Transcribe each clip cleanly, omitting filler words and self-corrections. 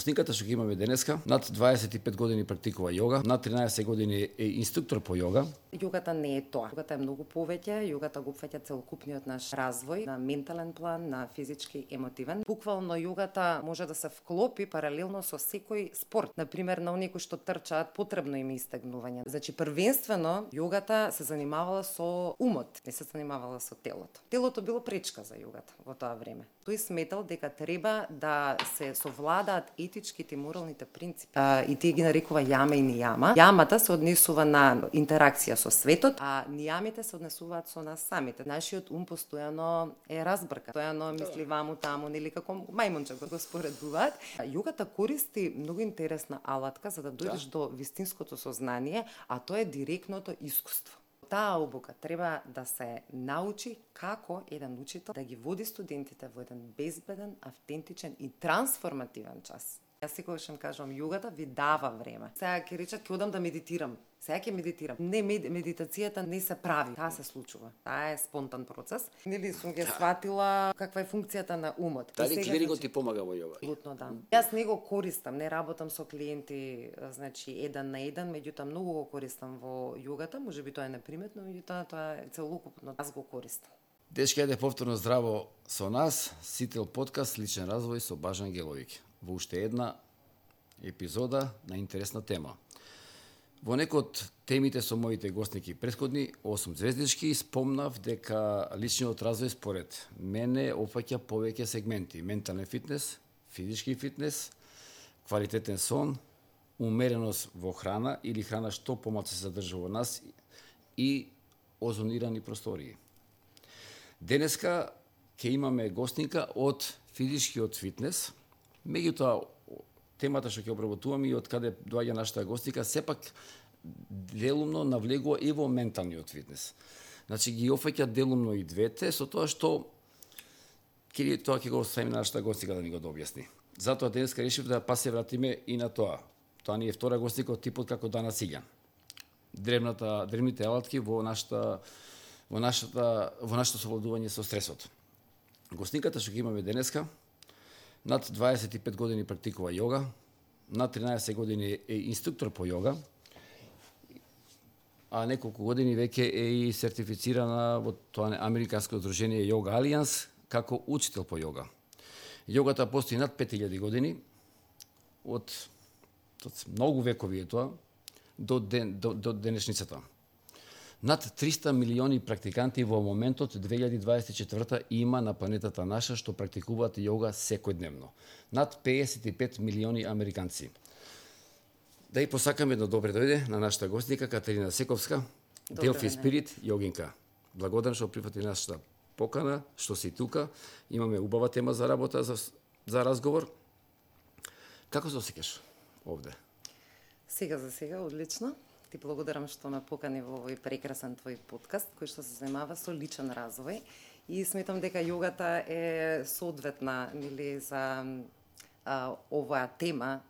Гостинката што ги имаме денеска, над 25 години практикува јога, над 13 години е инструктор по јога. Јогата не е тоа. Јогата е многу повеќе, јогата го опфаќа целокупниот наш развој на ментален план, на физички, емотивен. Буквално јогата може да се вклопи паралелно со секој спорт. Например, на оние кои што трчаат, потребно им е истегнување. Значи, првенствено јогата се занимавала со умот, не се занимавала со телото. Телото било пречка за јогата во тоа време. Тој сметал дека треба да се совладаат етичките и моралните принципи. И тие ги нарекува јама и нијама. Јамата се однесува на интеракција со светот, а нијамите се однесуваат со нас самите. Нашиот ум постојано е разбрка. Постојано мисли ваму таму, нели како мајмунче го споредуваат. Јогата користи многу интересна алатка за да дојдеш до вистинското сознание, а тоа е директното искуство. Таа обука треба да се научи како еден учител да ги води студентите во еден безбеден, автентичен и трансформативен час. Јас секогаш им кажувам, јогата ви дава време. Сега ќе речат, ќе одам да медитирам. Сега ќе медитирам. Не, медитацијата не се прави. Таа се случува. Таа е спонтан процес. Нели сум ги сватила каква е функцијата на умот. Дали клирикот ти помага во јога? Абсолютно да. Јас не го користам, не работам со клиенти, значи еден на еден, меѓутоа многу го користам во јогата, можеби тоа е неприметно, меѓутоа тоа е целокупно. Јас го користам. Дечки, ајде повторно здраво со нас, Сител подкаст Личен развој со Бажан Геловик. Во уште една епизода на интересна тема. Во некој од темите со моите гостники претходни, 8 звездички, спомнав дека личниот развој според мене опфаќа повеќе сегменти: ментален фитнес, физички фитнес, квалитетен сон, умереност во храна или храна што помалку се задржува во нас и озонирани простории. Денеска ќе имаме гостника од физичкиот фитнес, меѓутоа темата што ќе обработуваме и од каде доаѓа нашата гостника, сепак делумно навлегува и во менталниот фитнес. Значи ги опфаќа делумно и двете, со тоа што тоа ќе го оставиме на нашата гостника да ни го објасни. Затоа денеска решив да се вратиме и на тоа. Тоа ни е втора гостника од типот како Дана Сиѓан. Древните алатки во нашето совладување со стресот. Гостниката што ќе имаме денеска, над 25 години практикува јога, над 13 години е инструктор по јога, а неколку години веќе е и сертифицирана во тоа американско здружение Yoga Alliance како учител по јога. Јогата постои над 5000 години, од многу векови е тоа, до денешницата. Над 300 милиони практиканти во моментот 2024 има на планетата наша што практикуваат јога секојдневно. Над 55 милиони американци. Да и посакаме да добре дојде на нашата гостника Катерина Сековска, Delphi Spirit јогинка. Благодарам што прифати нашата покана, што си тука. Имаме убава тема за работа, за разговор. Како се осеќаш овде? Сега за сега одлично. Ти благодарам што ме покани во овој прекрасен твој подкаст кој што се занимава со личен развој и сметам дека јогата е соодветна нели за оваа тема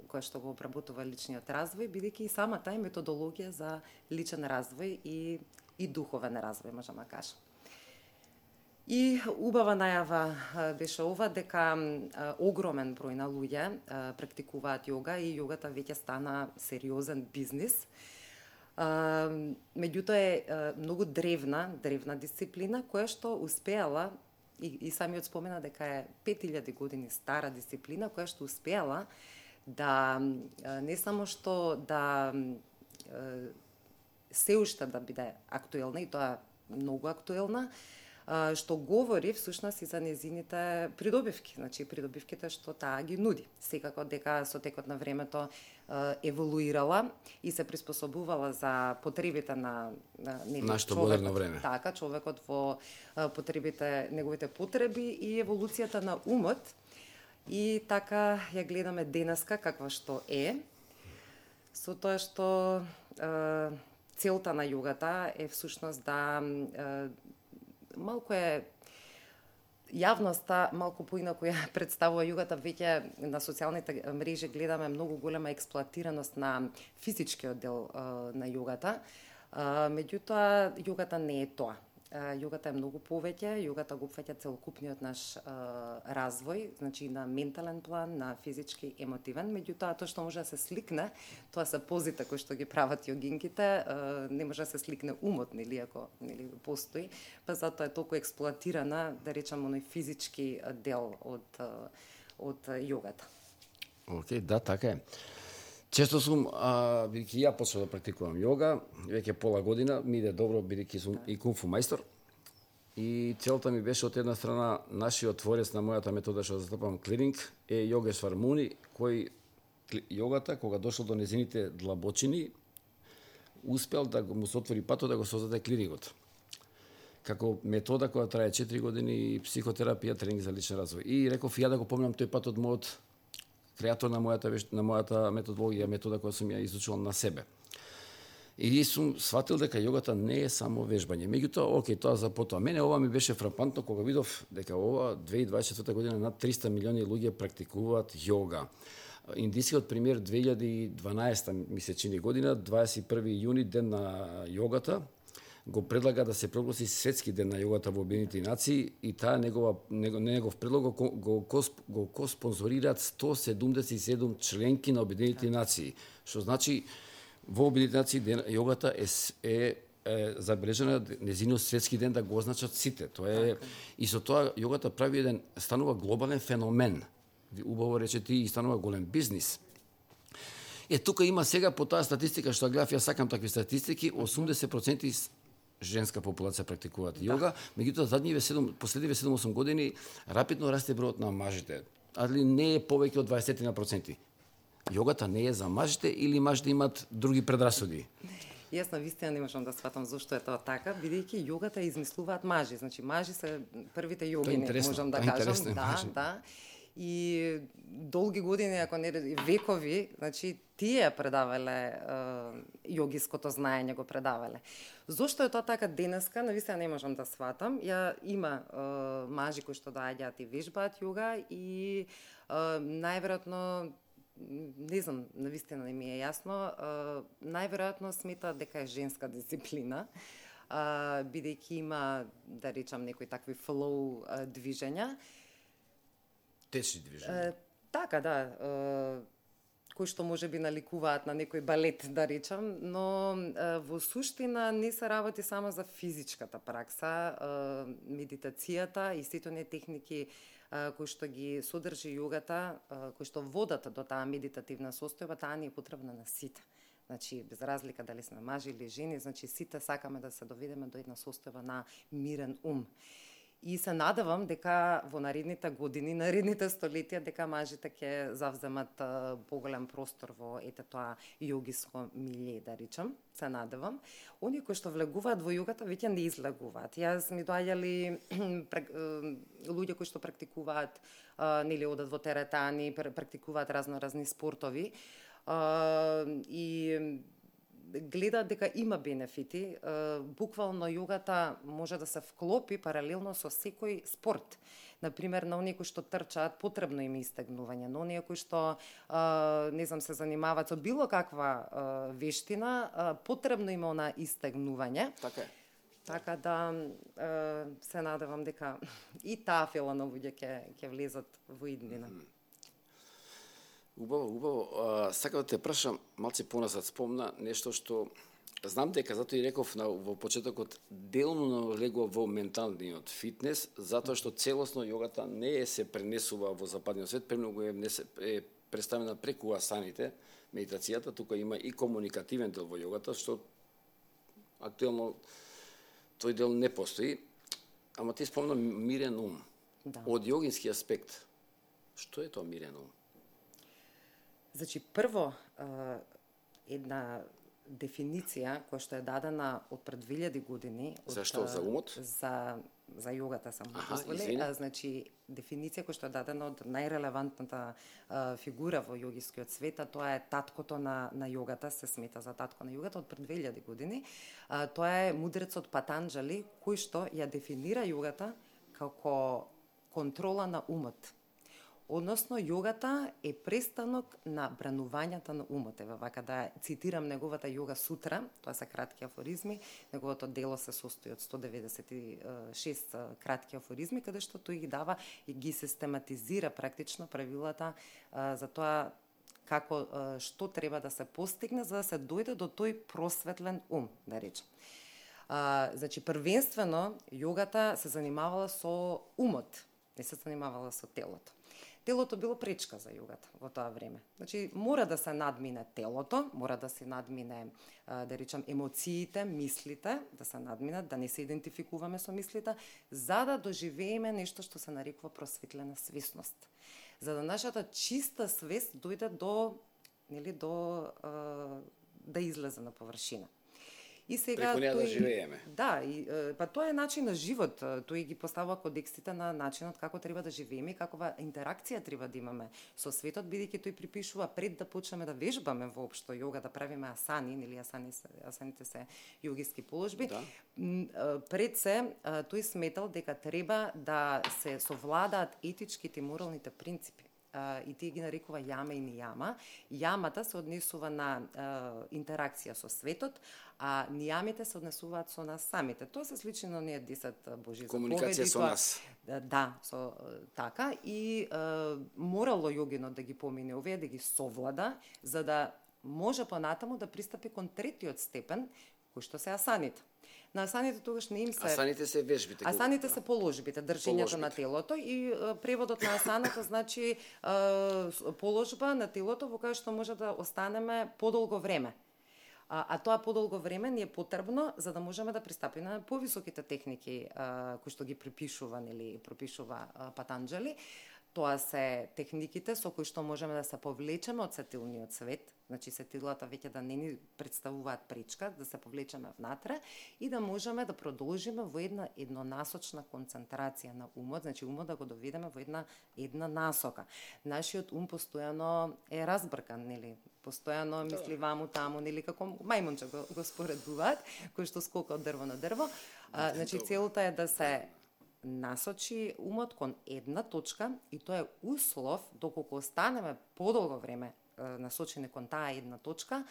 која што го обработува личниот развој, бидејќи и самата е методологија за личен развој и духовен развој, можеме да кажем. И убава најава беше ова дека огромен број на луѓе практикуваат јога и јогата веќе стана сериозен бизнис. Меѓутоа е многу древна дисциплина која што успеала и самиот спомена дека е 5000 години стара дисциплина која што успеала да не само што да се уште да биде актуелна и тоа многу актуелна, што говори всушност и за незините придобивки, значи придобивките што таа ги нуди. Секако дека со текот на времето еволуирала и се приспособувала за потребите на нашето модерно време. Така, човекот во потребите, неговите потреби и еволуцијата на умот. И така ја гледаме денеска каква што е, со тоа што целта на јогата е всушност да малку е јавноста малку поинаку ја представува јогата. Веќе на социјалните мрежи гледаме многу голема експлоатираност на физичкиот дел на јогата. Меѓутоа, јогата не е тоа. Јогата е многу повеќе, јогата го опфаќа целокупниот наш развој, значи на ментален план, на физички, емотивен, меѓутоа тоа што може да се сликне, тоа се позите кои што ги прават јогинките, не може да се сликне умот, нели, ако постои, па затоа е толку експлоатирана, да речам, оној физички дел од јогата. Океј, да, така е. Често сум, бидејќи ја почнав да практикувам јога, веќе пола година, ми иде добро, бидејќи сум и кунфу мајстор. И целта ми беше од една страна, нашиот творец на мојата метода што застапам клиринг е Јогешвар Муни, кој јогата, кога дошол до незините длабочини, успел да му се отвори патот да го создаде клирингот. Како метода која трае 4 години, психотерапија, тренинг за личен развој. И реков ја да го помнам тој пат од мојот креатор на мојата методологија, метода која сум ја изучувал на себе. И сум сватил дека јогата не е само вежбање. Меѓутоа, окей, тоа за потоа. Мене ова ми беше фрапантно кога видов дека ова 2024 година над 300 милиони луѓе практикуваат јога. Индискиот пример 2012 ми се чини година, 21 јуни, ден на јогата, го предлага да се прогласи светски ден на јогата во Обединетите нации и таа негов предлог го спонзорираат 177 членки на Обединетите нации, што значи во Обединетите нации јогата е забележена незиниот светски ден да го означат сите. Тоа е и со тоа јогата прави станува глобален феномен. Убаво рече ти, и станува голем бизнис. Тука има сега по таа статистика што гледав, ја сакам такви статистики, 80% женска популација практикуваат јога, меѓутоа последниве 7-8 години рапидно расте бројот на мажите, али не е повеќе од 20%. Јогата не е за мажите или мажите имаат други предрасуди? Јас навистина не можам да сватам зошто е тоа така, бидејќи јогата измислуваат мажи, значи мажи се првите јогини, можам да кажам, да. И долги години, ако не векови, значи тие предавале јогиското знаење, го предавале. Зошто е тоа така денеска, навистина не можам да сватам. Има мажи кои што доаѓаат и вежбаат јога и најверојатно, не знам, навистина не ми е јасно, најверојатно сметаат дека е женска дисциплина, бидејќи има, да речам, некои такви флоу движења. Течни движења. Така, да. Кои што може би наликуваат на некој балет, да речам, но во суштина не се работи само за физичката пракса, медитацијата и сите оние техники кои што ги содржи јогата, кои што водат до таа медитативна состојба, таа ни е потребна на сите. Значи, без разлика дали сме мажи или жени, значи сите сакаме да се доведеме до една состојба на мирен ум. И се надевам дека во наредните години, наредните столетија, дека мажите ќе завземат поголем простор во тоа јогиско милје, да речам, се надевам. Оние кои што влегуваат во јогата веќе не излегуваат. Јас ми доаѓали луѓе кои што практикуваат, нели одат во теретани, практикуваат разни спортови и гледаат дека има бенефити, буквално јогата може да се вклопи паралелно со секој спорт. Например, на оние кои што трчаат, потребно им е истегнување, на оние кои што не знам, се занимаваат со било каква вештина, потребно им е она истегнување. Така е. Така да се надевам дека и таа фела на луѓе ќе влезат во иднина. Убаво. Сакам да те прашам, малце поназад спомна нешто што знам дека затоа и реков во почетокот делно налегува во менталниот фитнес, затоа што целосно јогата не се пренесува во западниот свет, премногу е представена преку асаните, медитацијата, тука има и комуникативен дел во јогата, што актуелно тој дел не постои. Ама ти спомна мирен ум. Да. Од јогински аспект, што е тоа мирен ум? Значи, прво, една дефиниција која што е дадена од пред 2000 години. Зашто? За умот? За јогата сам позволи. Значи, дефиниција која што е дадена од најрелевантната фигура во јогискиот свет, тоа е таткото на јогата, се смета за татко на јогата од пред 2000 години. Тоа е мудрецот Патанџали, кој што ја дефинира јогата како контрола на умот. Односно, јогата е престанок на бранувањата на умот. Ева вака да цитирам неговата јога сутра, тоа се кратки афоризми, неговото дело се состои од 196 кратки афоризми, каде што тој ги дава и ги систематизира практично правилата за тоа како што треба да се постигне за да се дојде до тој просветлен ум, да речем. Значи, првенствено, јогата се занимавала со умот, не се занимавала со телото. Телото било пречка за јогата во тоа време. Значи, мора да се надмине телото, мора да се надмине, да речем, емоциите, мислите, да се надминат, да не се идентификуваме со мислите, за да доживееме нешто што се нарекува просветлена свесност. За да нашата чиста свест дојде до, нели, да излезе на површина. И сега преку неа да живееме. Да, па тоа е начин на живот. Тој ги поставува кодексите на начинот како треба да живееме и каква интеракција треба да имаме со светот, бидејќи тој припишува пред да почнеме да вежбаме воопшто јога, да правиме асани, нели асаните се јогиски положби. Да. Пред се тој сметал дека треба да се совладаат етичките и моралните принципи. И тие ги нарекува јама и нијама. Јамата се однесува на интеракција со светот, а нијамите се однесуваат со нас самите. Тоа се сличи на оние 10 Божи заповеди. Комуникација со нас. Да, со така. И морало јогинот да ги помине овие, да ги совлада, за да може понатаму да пристапи кон третиот степен, кој што се асаните. На асаните тогаш не им се... Асаните се вежбите. Асаните се положбите, држењето на телото и преводот на асаната значи положба на телото во која што може да останеме подолго време. А тоа подолго време ни е потребно за да можеме да пристапиме на повисоките техники кои што ги припишува или пропишува Патанџали. Тоа се техниките со кои што можеме да се повлечеме од сетилниот свет, значи сетилата веќе да не ни представуваат пречка, да се повлечеме внатре и да можеме да продолжиме во една еднонасочна концентрација на умот, значи умот да го доведеме во една насока. Нашиот ум постојано е разбркан, нели? Постојано мисли ваму таму, нели како мајмунче го споредуваат, кој што скока од дрво на дрво. Значи целта е да се насочи умот кон една точка и тоа е услов доколку останеме подолго време насочени кон таа една точка,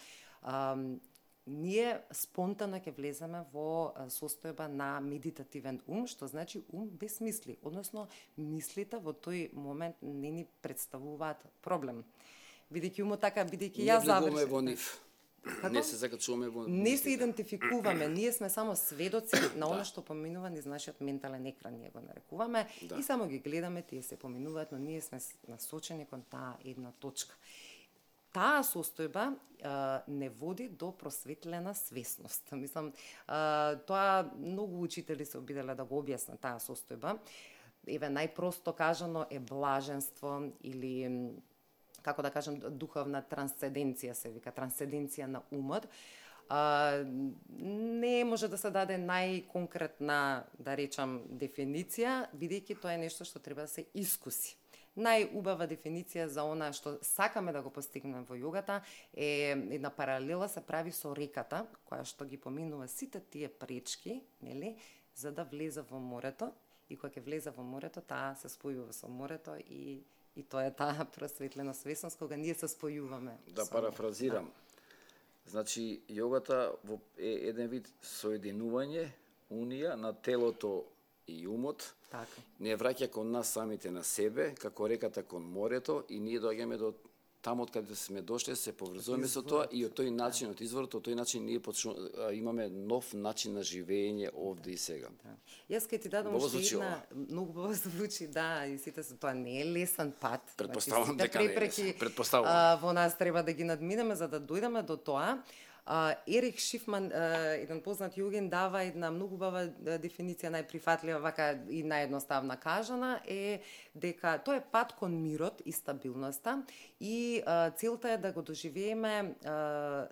ние спонтано ќе влеземе во состојба на медитативен ум, што значи ум без мисли, односно мислите во тој момент не ни представуваат проблем. Бидејќи умот така, бидејќи ја завршив. Не се закачуваме во... Не се идентификуваме, ние сме само сведоци на она што поминува низ нашиот ментален екран, ние го нарекуваме, и само ги гледаме, тие се поминуваат, но ние сме насочени кон таа една точка. Таа состојба не води до просветлена свесност. Мислам, тоа многу учители се обиделе да го објаснат таа состојба. Еве, најпросто кажано е блаженство или како да кажем, духовна трансценденција се вика, трансценденција на умот. Не може да се даде најконкретна, да речам, дефиниција, бидејќи тоа е нешто што треба да се искуси. Најубава дефиниција за она што сакаме да го постигнеме во јогата е една паралела се прави со реката, која што ги поминува сите тие пречки, нели, за да влезе во морето, и кога ќе влезе во морето, таа се спојува со морето и тоа е таа просветлена свесност кога ние се спојуваме. Да парафразирам. Значи, јогата е еден вид соединување, унија на телото и умот. Така. Не враќа кон нас самите на себе, како реката кон морето, и ние доаѓаме до таму од каде сме дошле, се поврзуваме со тоа и од тој начин, од изворот, од тој начин ние имаме нов начин на живење овде и сега. Да. Јас ке ти дадам уште една, многу убаво звучи, да, и сите се, тоа не е лесен пат. Предпоставам дека не е лесен. Предпоставам. Во нас треба да ги надминеме за да дојдеме до тоа. Ерих Шифман, еден познат јогин, дава една многу убава дефиниција, најприфатлива, вака и наједноставна кажана, е дека тоа е пат кон мирот и стабилноста и целта е да го доживееме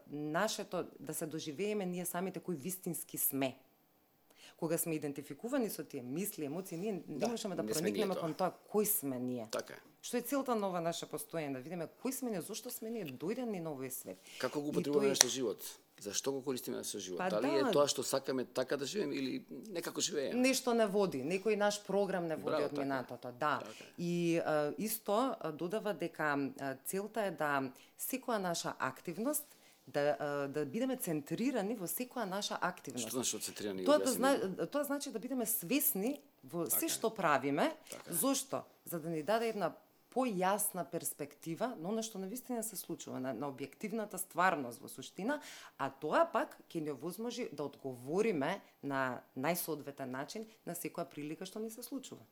нашето, да се доживееме ние самите кои вистински сме. Кога сме идентификувани со тие мисли, емоции, ние не можеме да не сме проникнеме ние кон тоа кој сме ние. Така е. Што е целта на ова наше постоење, да видиме кој сме ние, зошто сме ние дојдени на овој свет. Како го употребуваме нашиот живот? Зашто го користиме нашиот живот? Па Дали да. е тоа што сакаме така да живееме или некако живееме? Нешто не води, некој наш програм не води Браво, од така е. минатото, да. Така е. И исто додава дека целта е да секоја наша активност да бидеме центрирани во секоја наша активност. Што значи центрирани? Тоа значи да бидеме свесни во се што правиме. Зошто? За да ни даде една појасна перспектива на оно што навистина се случува, на објективната стварност во суштина, а тоа пак ќе ни овозможи да одговориме на најсоодветен начин на секоја прилика што ни се случува.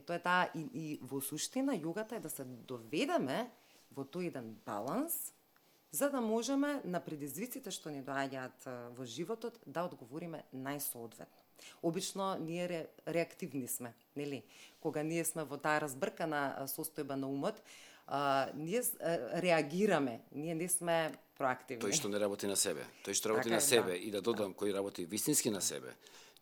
Тоа е таа и во суштина јогата е да се доведеме во тој еден баланс, за да можеме на предизвиците што ни доаѓаат во животот да одговориме најсоодветно. Обично ние реактивни сме, нели? Кога ние сме во таа разбркана состојба на умот, ние реагираме, ние не сме проактивни. Тој што не работи на себе, тој што работи Така на е, себе да. и да додам кој работи вистински на себе,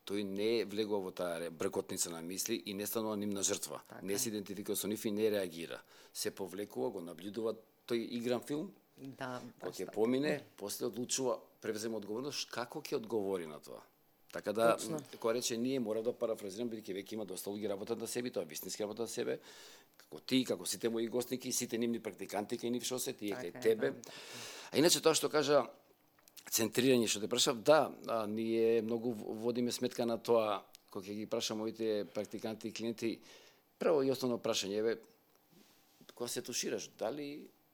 тој не влегува во таа бркотница на мисли и не станува нивна жртва. Не се идентификува со нив и не реагира. Се повлекува, го наблюдува тој игран филм, Да, кога баш ќе така. помине, после одлучува, превзема одговорност како ќе одговори на тоа. Така да, Точно. кога рече ние, мора да парафразирам, бидејќи веќе има доста луѓе работат на себе, тоа е вистински работа на себе, како ти, како сите мои гостники, сите нивни практиканти кај нив што се, тие кај Така е, тебе. да. А иначе тоа што кажа центрирање, што те прашав, да, ние многу водиме сметка на тоа, кога ќе ги прашам моите практиканти и клиенти, прво и основно прашање е, кога се тушираш,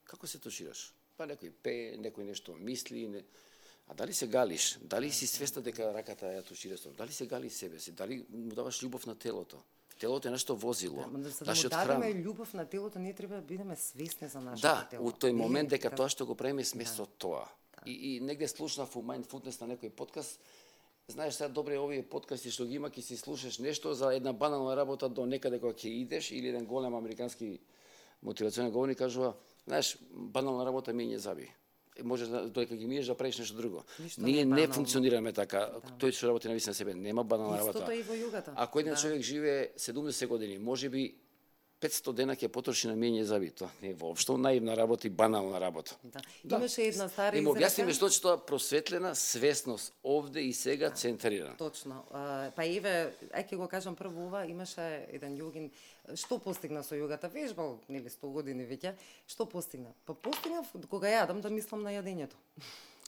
како се тушираш? Па некој пее, некој нешто мисли, а дали се галиш? Дали си свесна дека раката ја тушираш? Дали се гали себе си? Дали му даваш љубов на телото? Телото е нашето возило, За да му нашиот дадеме храм. љубов на телото, ние треба да бидеме свесни за нашето Да, тело. у тој момент дека Да. тоа што го правиме сме со тоа. И негде слушнав у Mindfulness на некој подкаст, знаеш сега добре овие подкасти што ги има, ќе си слушаш нешто за една банална работа до некаде кога ќе идеш, или еден голем американски мотивационен говорник кажува, знаеш, банална работа мијење заби. Може додека ги миеш да правиш нешто друго. Ништо Ние не не банално. функционираме така. Тој што работи на вистина себе, нема банална работа. Истото е и во југата. Ако еден човек живее 70 години, можеби 500 дена ќе потроши на миење заби. Тоа не е воопшто наивна работа и банална работа. Да. Имаше една стара Им изрека. објасниме што е тоа просветлена свесност овде и сега центрирана. Точно. Па еве, ќе го кажам прво ова, имаше еден јогин, што постигна со јогата, вежбал, нели 100 години веќе, што постигна? Па постигнав кога јадам да мислам на јадењето.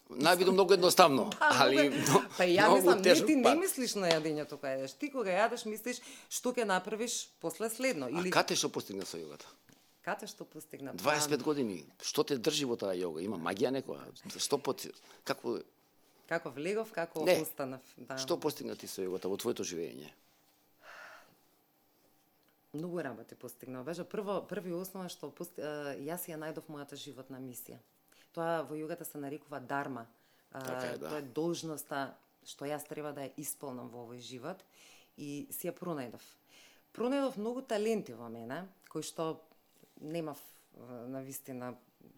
Најбидо многу едноставно, али Па ја многу мислам, не тежок ти не пат. мислиш на јадењето кога јадеш. Ти кога јадеш мислиш што ќе направиш после следно. А кате што постигна со јогата? Кате што постигна? 25 години. Што те држи во таа јога? Има магија некоја? Што како Како влегов, како Не. останав. Да. што постигна ти со јогата во твоето живење? Многу работи постигнав. Беше први основа што јас ја најдов мојата животна мисија. Тоа во јогата се нарекува дарма. Така е, да. Тоа е должноста што јас треба да ја исполнам во овој живот и си ја пронајдов. Пронајдов многу таленти во мене, кои што немав на вистина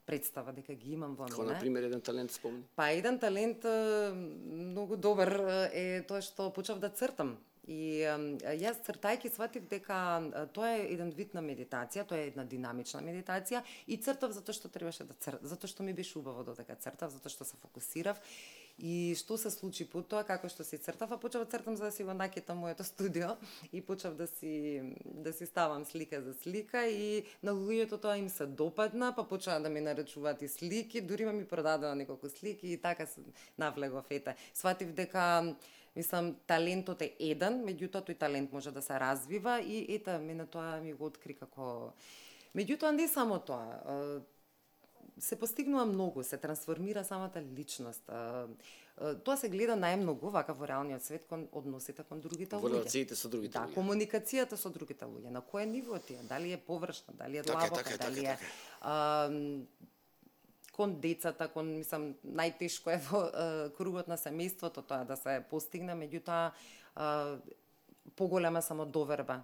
представа дека ги имам во Како мене. на пример еден талент спомни? Па еден талент многу добар е тоа што почнав да цртам. И јас цртајќи сватив дека тоа е еден вид на медитација, тоа е една динамична медитација и цртав затоа што требаше да цртам, затоа што ми беше убаво додека цртав, затоа што се фокусирав. И што се случи по тоа, како што си цртав, а почнав да цртам за да си го накетам моето студио и почнав да си ставам слика за слика и на луѓето тоа им се допадна, па почнаа да ми нарачуваат и слики, дури ми продадоа неколку слики и така се навлегов ете. Сватив дека мислам, талентот е еден, меѓутоа тој талент може да се развива и ета, мене тоа ми го откри како... Меѓутоа, не само тоа. Се постигнува многу, се трансформира самата личност. Тоа се гледа најмногу вака во реалниот свет кон односите кон другите Во луѓе. релациите со другите Да, луѓе. комуникацијата со другите луѓе. На кое ниво ти е? Дали е површна, дали е Така е, длабока, така е, дали така е кон децата, мислам, најтешко е во кругот на семејството тоа да се постигне, меѓутоа поголема самодоверба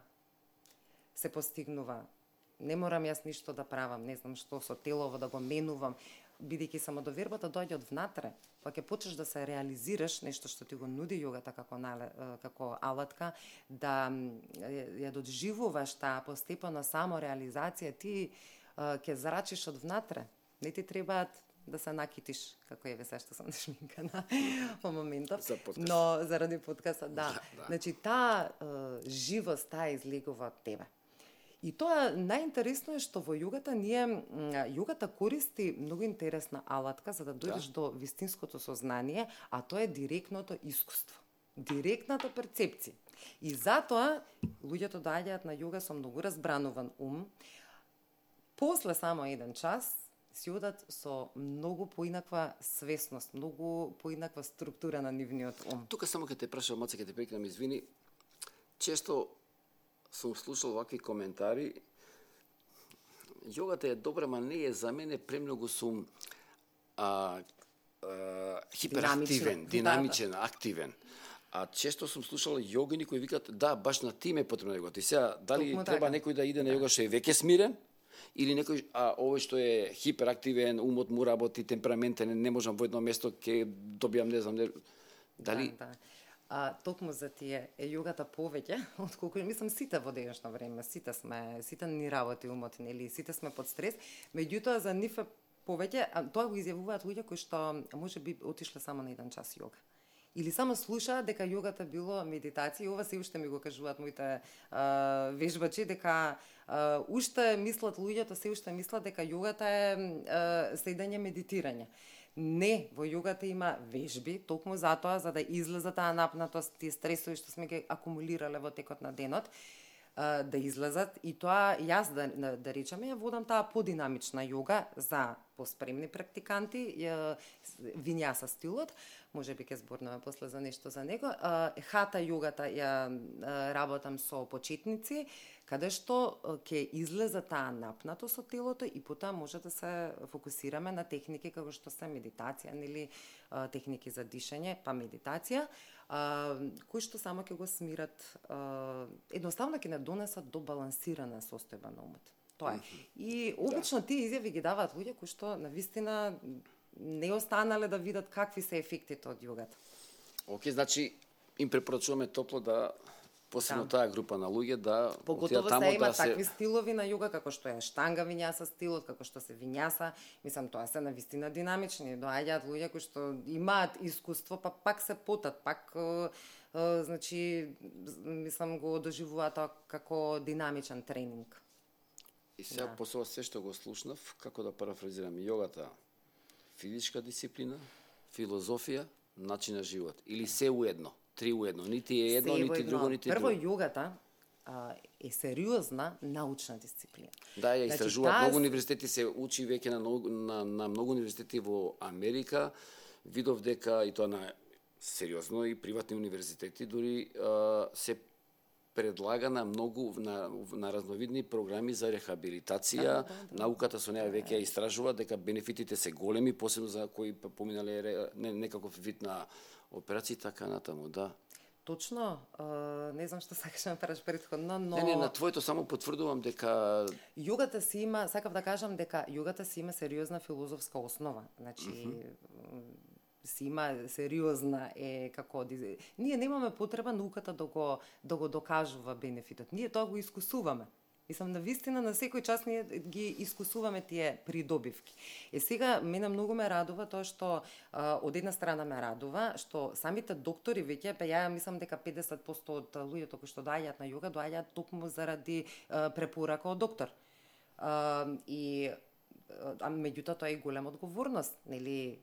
се постигнува не морам јас ништо да правам, не знам што со телово да го менувам, бидејќи самодовербата доаѓа од внатре, па ќе почнеш да се реализираш нешто што ти го нуди јогата како алатка, да ја доживуваш таа постепена самореализација, ти ќе зрачиш од внатре. Не ти требаат да се накитиш, како еве се што сум шминкана во моментов. Но заради подкаста, да. Значи таа живост, таа излегува од тебе. И тоа најинтересно е што во јогата користи многу интересна алатка за да дојдеш до вистинското сознание, а тоа е директното искуство, директната перцепција. И затоа луѓето доаѓаат на јога со многу разбрануван ум, после само еден час си одат со многу поинаква свесност, многу поинаква структура на нивниот ум. Тука само ќе те прашам, маце ќе те прекинам, извини. Често сум слушал вакви коментари. Јогата е добра, ма не е за мене, премногу сум хиперактивен, динамичен, активен. А често сум слушал јогини кои викат, да, баш на ти ме е потребна јогата. И сега, дали треба некој да иде на јога што е веќе смирен, или некој, овој што е хиперактивен, умот му работи, темпераментен, не можам во едно место, ќе добијам, не знам, дали... Токму за тие е јогата повеќе, отколку мислам сите во денешно време, сите ни работи умот, нели, сите сме под стрес, меѓутоа за нив е повеќе, тоа го изјавуваат луѓе кои што можеби отишле само на еден час јога. Или само слушаат дека јогата било медитација, и ова се уште ми го кажуваат моите вежбачи, дека уште мислат луѓето, се уште мислат дека јогата е седење медитирање. Не, во јогата има вежби, токму затоа, за да излезе таа напнатост, тие стресови што сме ги акумулирале во текот на денот, да излезат. И тоа, јас да речеме, ја водам таа подинамична јога за поспремни практиканти, винјаса стилот, може би ќе зборнеме после за нешто за него. Хата јогата ја работам со почетници, каде што ќе излезе таа напнатост од телото и потоа може да се фокусираме на техники како што се медитација, нели, техники за дишење, па медитација, кои што само ќе го смират, едноставно ќе не донесат до балансирана состојба на умот. Тоа е. И обично тие изјави ги даваат луѓе кои што навистина не останале да видат какви се ефектите од јогата. Океј, значи им препорачуваме топло да посебно таа група на луѓе да поготово таму се има такви стилови на јога како што е штанга винјаса стилот, како што се винјаса, мислам тоа се навистина динамични, доаѓаат луѓе кои што имаат искуство, па пак се потат, пак значи мислам го доживуваат тоа како динамичен тренинг. И сега после се што го слушнав, како да парафразирам, јогата физичка дисциплина, филозофија, начин на живот или се уедно. Три уедно, нити е едно, нити друго, нити друго. Прво, јогата е сериозна научна дисциплина. Да, ја истражуваат многу универзитети, се учи веќе на многу универзитети во Америка. Видов дека и тоа на сериозно и приватни универзитети дури се предлага на многу на разновидни програми за рехабилитација. Науката со неа веќе ја истражува дека бенефитите се големи, посебно за кои поминале некаков вид на операции, така натаму, да. Точно, не знам што сакаш да праш претходно, но... Не, на твоето само потврдувам дека... Јогата си има, сакав да кажам дека јогата си има сериозна филозофска основа. Значи, си има сериозна како... Ние немаме потреба науката да го докажува бенефитот. Ние тоа го искусуваме. Мислам, навистина на секој час ние ги искусуваме тие придобивки. Сега, мене многу ме радува тоа што, од една страна ме радува, што самите доктори веќе, ја мислам дека 50% од луѓето кои што доаѓаат на јога, доаѓаат токму заради препорака од доктор. Меѓутоа тоа е голема одговорност, нели?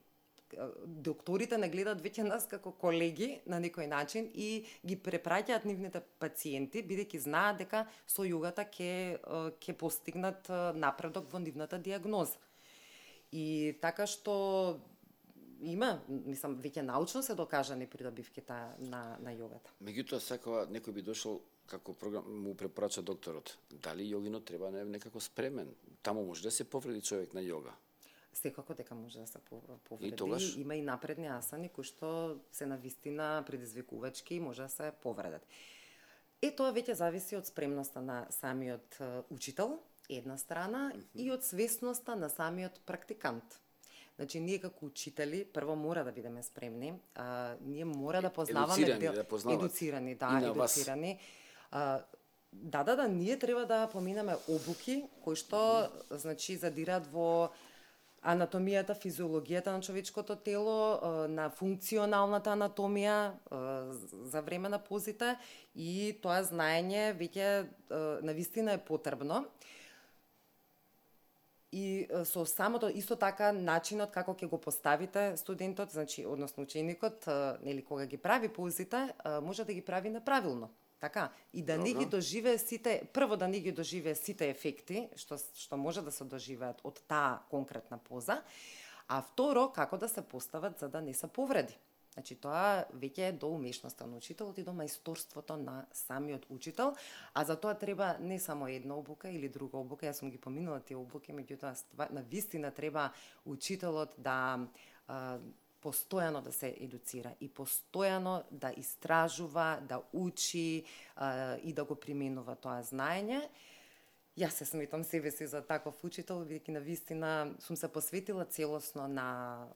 Докторите не гледаат веќе нас како колеги на некој начин и ги препраќаат нивните пациенти, бидејќи знаат дека со јогата ќе постигнат напредок во нивната дијагноза. И така што има, мислам, веќе научно се докажани придобивките на јогата. Меѓутоа, секоја некој би дошол како програм му препорача докторот. Дали јогинот треба некако спремен? Таму може да се повреди човек на јога. Секако дека може да се повреди. Има и напредни асани кои што се навистина предизвикувачки и може да се повредат. Тоа веќе зависи од спремноста на самиот учител една страна и од свесноста на самиот практикант. Значи, ние како учители, прво мора да бидеме спремни, ние мора да познаваме... Едуцирани, едуцирани. Ние треба да поминаме обуки, кои што, значи, задираат во анатомијата, физиологијата на човечкото тело, на функционалната анатомија за време на позите, и тоа знаење веќе навистина е потребно. И со самото исто така начинот како ќе го поставите студентот, значи односно ученикот, нели кога ги прави позите, може да ги прави неправилно. Така, и да не ги доживее сите, прво да не ги доживее сите ефекти што може да се доживеат од таа конкретна поза, а второ како да се постават за да не се повреди. Значи, тоа веќе е до умешноста на учителот и до мајсторството на самиот учител, а за тоа треба не само една обука или друга обука. Јас сум ги поминала тие обуки, меѓутоа навистина треба учителот да постојано да се едуцира и постојано да истражува, да учи и да го применува тоа знаење. Јас се сметам себе си за таков учител, бидејќи навистина сум се посветила целосно на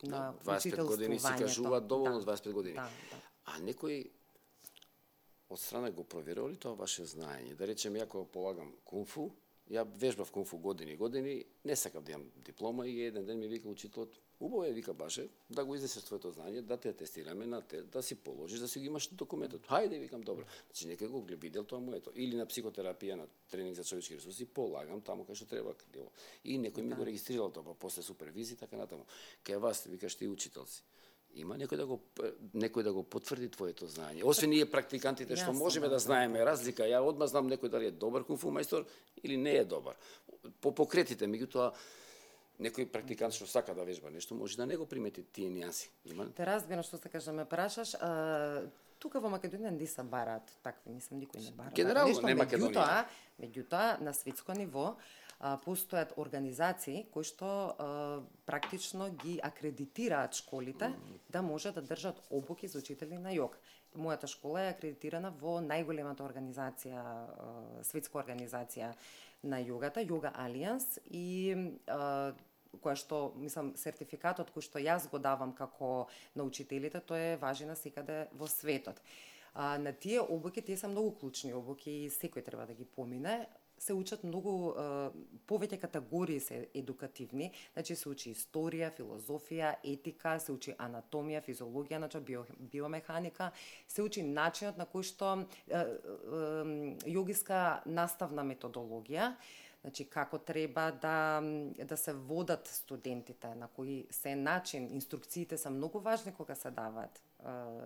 25 години се кажуваат доволно 25 години. Да. А некој од страна го проверува ли тоа ваше знаење? Да речем, ја кога полагам кунфу, ја вежбав кунфу години, не сакав да имам диплома и еден ден ми вика учителот, убаво е, вика Баше, да го изнесеш твоето знаење, да те тестираме на те, да си положиш, да си го имаш документот. Хајде, викам, добро. Значи некој го видел тоа моето. Или на психотерапија, на тренинг за човечки ресурси, полагам таму кај што треба. И некој ми го регистрирал тоа, после супервизија, така натаму. Кај вас, викаш, ти учител си. Има некој да го потврди твоето знаење. Освен ние практикантите што можеме да знаеме разлика, ја одма знам некој дали е добар кунфу мајстор или не е добар. По покретите, меѓутоа некој практикант што сака да вежба нешто, може да не го примети тие нијанси. Има? Те разбирам што сакаш да ме прашаш. Тука во Македонија не се бараат такви, мислам, никој не бара. Генерално не Македонија. Меѓутоа, на светско ниво постојат организации кои што практично ги акредитираат школите да може да држат обуки за учители на јога. Мојата школа е акредитирана во најголемата организација, светска организација на јогата, Yoga Alliance, и која што, мислам, сертификатот кој што јас го давам како на учителите, тој е важи на секаде во светот. На тие обуки, тие се многу клучни обуки и секој треба да ги помине. Се учат многу, повеќе категории се едукативни, значи се учи историја, филозофија, етика, се учи анатомија, физиологија, значи биомеханика, се учи начинот на кој што јогиска наставна методологија, значи како треба да се водат студентите, на кој се начин, инструкциите се многу важни кога се даваат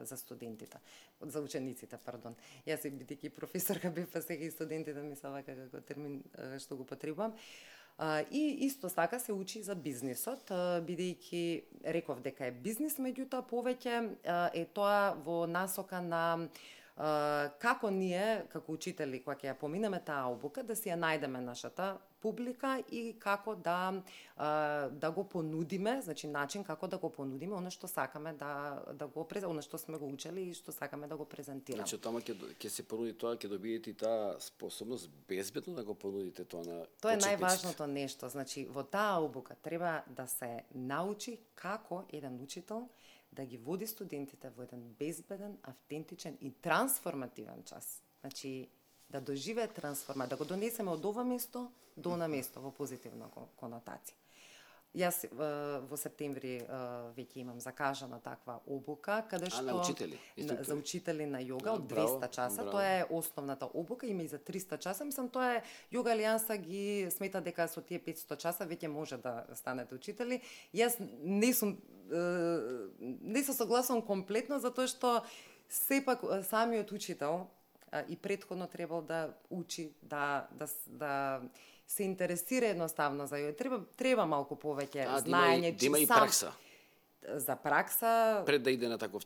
за студентите, за учениците, пардон. Јас бидејќи професорка бев, па сега и студентите ми се вака како термин што го потребувам. И исто така се учи за бизнисот, бидејќи реков дека е бизнис, меѓутоа повеќе е тоа во насока на како ние, како учители, кога ќе ја поминеме таа обука, да си ја најдеме нашата публика и како да го понудиме, значи начин како да го понудиме оно што сакаме да го оно што сме го учели и што сакаме да го презентираме. Значи тама ќе се понуди тоа, ќе добиете таа способност безбедно да го понудите тоа на почетниците. Тоа е најважното нешто, значи во таа обука треба да се научи како еден учител да ги води студентите во еден безбеден, автентичен и трансформативен час. Значи, да доживее трансформација, да го донесеме од ова место до она место во позитивна конотација. Јас во септември веќе имам закажана таква обука, каде што на учители, за учители на јога од 200 часа, тоа е основната обука, има и за 300 часа, мислам тоа е Yoga Alliance ги смета дека со тие 500 часа веќе може да станете учители. Јас не се согласувам комплетно затоа што сепак самиот учител и претходно требал да учи, да се интересира едноставно за јога. Треба малку повеќе знаење, да има и пракса. За пракса Пред да иде на таков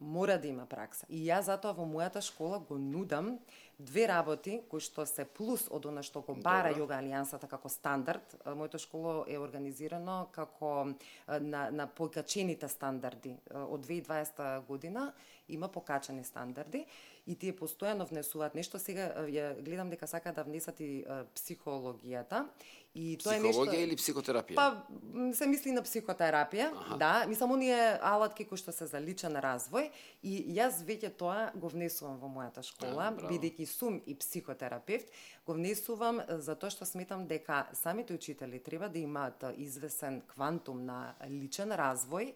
мора да има пракса. И јас затоа во мојата школа го нудам 2 работи кои што се плюс од она што го бара Јога Алијансата како стандард. Моето школо е организирано како на покачените стандарди. Од 2020 година има покачани стандарди и тие постојано внесуваат нешто. Сега ја гледам дека сакаат да внесат и психологијата. И тоа е нешто... Психологија или психотерапија? Па, се мисли на психотерапија, да. Мислам, оние алатки кои што се за личен развој. И јас веќе тоа го внесувам во мојата школа, бидејќи сум и психотерапевт, го внесувам затоа што сметам дека самите учители треба да имаат извесен квантум на личен развој,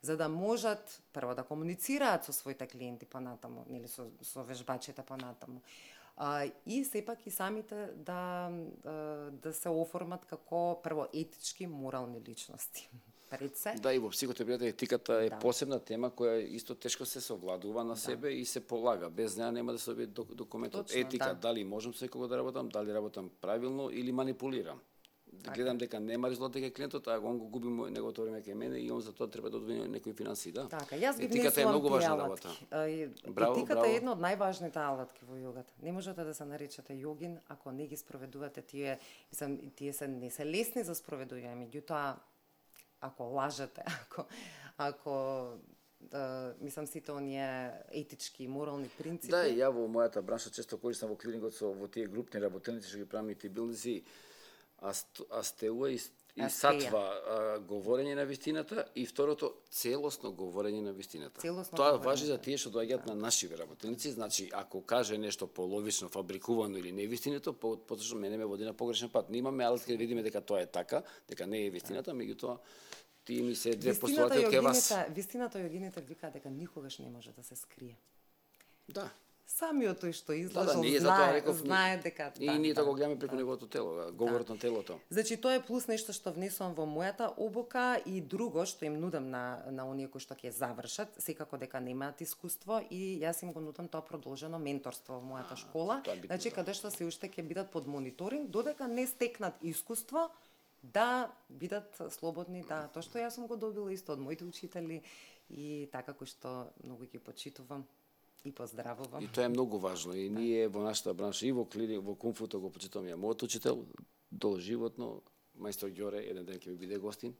за да можат прво да комуницираат со своите клиенти понатаму, или со вежбачите понатаму. И сепак и самите да се оформат како прво етички, морални личности. Пред се. Да, и во психотерапијата етиката е посебна тема која исто тешко се совладува на себе и се полага. Без неа нема да се добие документот. Точно, етика, дали можам секогаш да работам, дали работам правилно или манипулирам. Гледам дека нема резултат дека клиентот, а он го губи неговото време кај мене и он за тоа треба да одвои некои финанси, да. Така, јас ги етиката е многу важна работа. Етиката е една од најважните алатки во јогата. Не можете да се наречете јогин ако не ги спроведувате тие, тие не се лесни за спроведување, меѓутоа ако лажете, ако мислам сите оние етички и морални принципи. Да, ја во мојата бранша често користам во клинингот во тие групни работеници што ги правиме и билдинзи, астеуа и сатва говорење на вистината и второто целосно говорење на вистината. Тоа важи за тие што доаѓаат на наши работеници, значи ако каже нешто половично, фабрикувано или невистинито, поточно мене ме води на погрешен пат. Ние имаме алатки да видиме дека тоа е така, дека не е вистината, меѓутоа тие ми се две постулати од кај вас. Вистината јогините викаат дека никогаш не може да се скрие. Да. Самиот тој што излажал знае дека... И ние тоа го гледаме преку неговото тело, говорот на телото. Значи, тоа е плюс нешто што внесувам во мојата обука и друго што им нудам на оние кои што ќе завршат, секако дека немаат искуство и јас им го нудам тоа продолжено менторство во мојата школа. Значи, каде што се уште ќе бидат под мониторинг, додека не стекнат искуство, да бидат слободни, да, тоа што јас сум го добила исто од моите учители и така кои што многу ги почитувам и поздравувам. И тоа е многу важно и ние во нашата бранша и во кунфуто го почитувам ја мојот учител доживотно, мајстор Ѓоре, еден ден ќе ми биде гостин,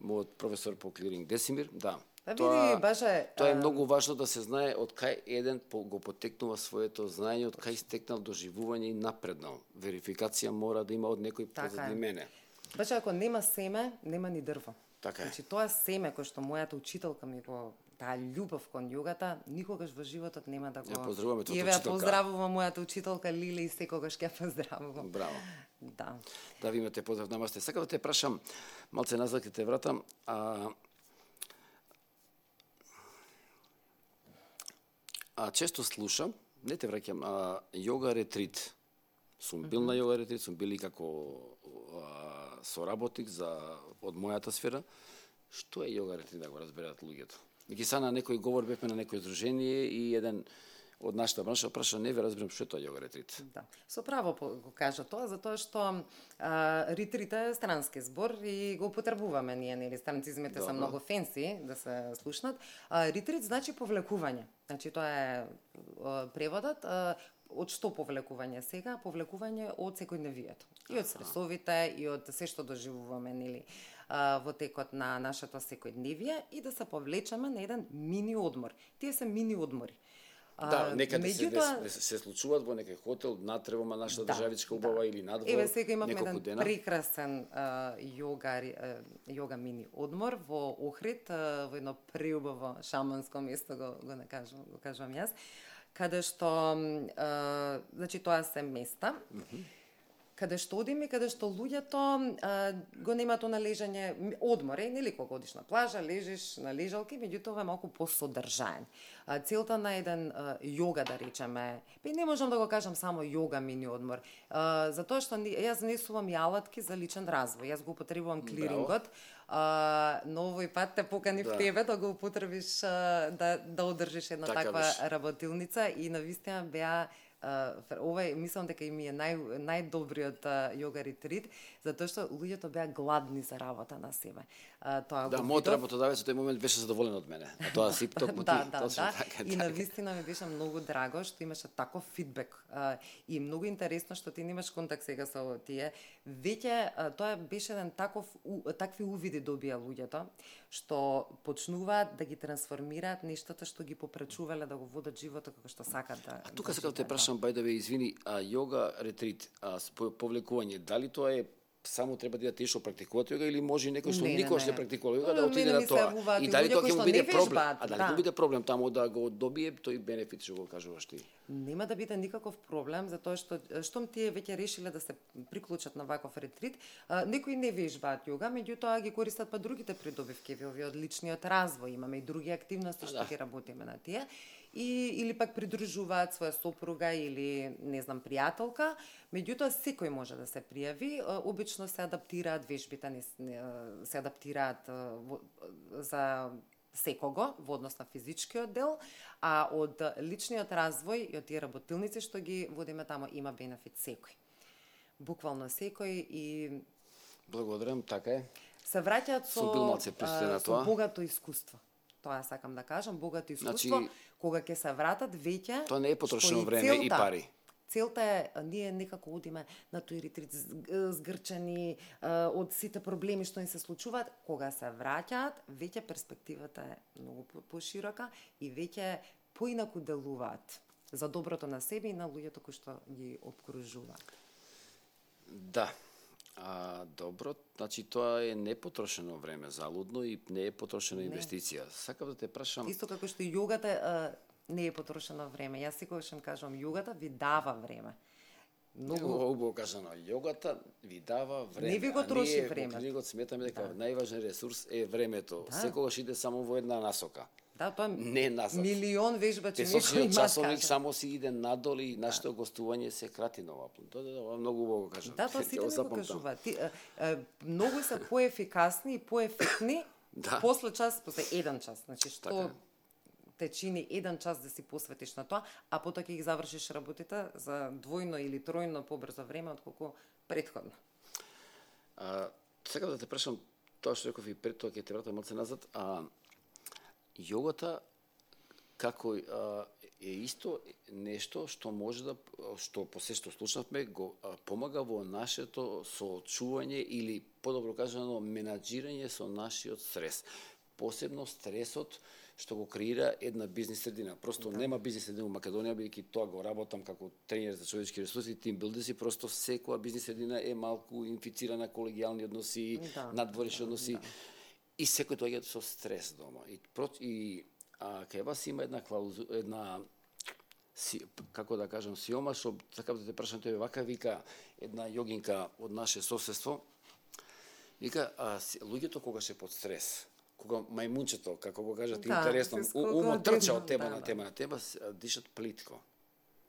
мојот професор по клиринг Десимир, да. Тоа е многу важно да се знае од кај еден го потекнува своето знаење, од кај стекнал доживување и напреднал. Верификација мора да има од некој позади мене. Баше, ако нема семе, нема ни дрво. Така е. Значи, тоа семе кој што мојата учителка ми го, таа љубов кон јогата, никогаш во животот нема да го... Ја поздравуваме твојата учителка. Ја поздравувам мојата учителка Лили и секогаш ќе поздравувам. Браво. Да. Да, ви имате поздрав, намасте. Сакам да те прашам, малце назад ќе те вратам, често слушам, не те враќам, јога ретрит. Сум бил на јога ретрит, сум бил и како соработник од мојата сфера. Што е јога ретрит, да го разберат луѓето? Ги са на некој говор, бевме на некој издружение и еден од нашата бранша праша, не ве разберам што е тоа јога ретрит. Да. Со право го кажа тоа, затоа што ретрит е странски збор и го употребуваме ние, нели, странцизмите се многу фенси да се слушнат. Ретрит значи повлекување. Значи тоа е преводот. Од што повлекување сега? Повлекување од секојдневието. И од стресовите, и од се што доживуваме, нели, во текот на нашето секојдневие и да се повлечеме на еден мини одмор. Тие се мини одмори. Да, некаде се случуваат во некој хотел надтрево на нашата државичка убава или надвор. Еве сега имавме еден прекрасен јога мини одмор во Охрид, во едно преубаво шаманско место го кажувам јас, каде што значи тоа се места каде што одиме, каде што луѓето го немаат на лежање одмор, нели кога одиш на плажа, лежиш на лежалки, меѓутоа е малку посодржаен. Целта на еден јога, да речеме, не можам да го кажам само јога мини одмор, затоа што јас несувам и алатки за личен развој. Јас го употребувам клирингот, но овој пат те поканив тебе да го употребиш, да одржиш една таква работилница и навистина беа Овај мислам дека ми е најдобриот јога ретрит, затоа што луѓето беа гладни за работа на себе. Тоа Да, мојот работодавец во тој момент беше задоволен од мене. А тоа си токму да, точно така. И навистина ми беше многу драго што имаше таков фидбек и многу интересно што ти немаш контакт сега со тие. Веќе тоа беше еден такви увиди добија луѓето што почнуваат да ги трансформираат нештата што ги попречувале да го водат животот како што сакат да. А тука сакам да те прашам, бај да ве извини, јога ретрит, повлекување, дали тоа е само треба да тешо практикуваат јога или може некој што никош не практикува јога да отиде на тоа? И дали тоа ќе му биде проблем? А дали ќе му биде проблем таму да го добие тој бенефит што го кажуваш ти? Нема да биде никаков проблем, затоа што штом тие веќе решиле да се приклучат на ваков ретрит, некои не вежбаат јога, меѓутоа ги користат па другите придобивки од личниот развој, имаме и други активности што ќе работиме на тие. Или пак придружуваат своја сопруга или не знам пријателка, меѓутоа секој може да се пријави, обично се адаптираат вежбите, се адаптираат за секого во однос на физичкиот дел, а од личниот развој и од тие работилници што ги водиме тамо има бенефит секој. Буквално секој и благодарам, така е. Се враќаат со богато искуство. Тоа сакам да кажам, богато искуство, кога ќе се вратат веќе. Тоа не е потрошено време и пари. Целта е, ние некако одиме на тој ретрит згрчени од сите проблеми што им се случуваат, кога се враќаат, веќе перспективата е многу поширока и веќе поинаку делуваат за доброто на себе и на луѓето кои што ги обкружуваат. Да. Добро, значи тоа е непотрошено време залудно и не е потрошена инвестиција. Сакам да те прашам. Исто како што јогата не е потрошено време. Јас секогаш им кажувам, јогата ви дава време. Многу убаво кажано, јогата ви дава време. Не ви го троши време. Во клиникот сметаме дека најважен ресурс е времето. Секогаш иде само во една насока. Да, тоа не назад. Милион вежбачи некој има. Часовник само си иде надол и нашето гостување се крати на ова. Тоа многу убаво кажано. Да, тоа сите ми го кажуваат. Многу се поефикасни и поефектни после еден час. Значи што те чини еден час да си посветиш на тоа, а потоа ќе ги завршиш работите за двојно или тројно побрзо време отколку претходно. Сакам да те прашам тоа што реков и пред тоа ќе те вратам малце назад, јогата како е исто нешто што може да, што по се што слушнавме, го помага во нашето соочување или подобро кажано менаџирање со нашиот стрес. Посебно стресот што го креира една бизнис средина. Просто нема бизнис средина во Македонија, бидејќи тоа го работам како тренер за човечки ресурси, тимбилдерси, просто секоја бизнис средина е малку инфицирана, колегијални односи, надворешни односи. И секој доаѓа со стрес дома. И кај вас има една како да кажам, сиома, што сакам да те прашам, тој вака вика една јогинка од наше соседство. Вика, луѓето кога се под стрес, кога мајмунчето, како го кажат интересно, умот трча од тема на тема, дишат плитко.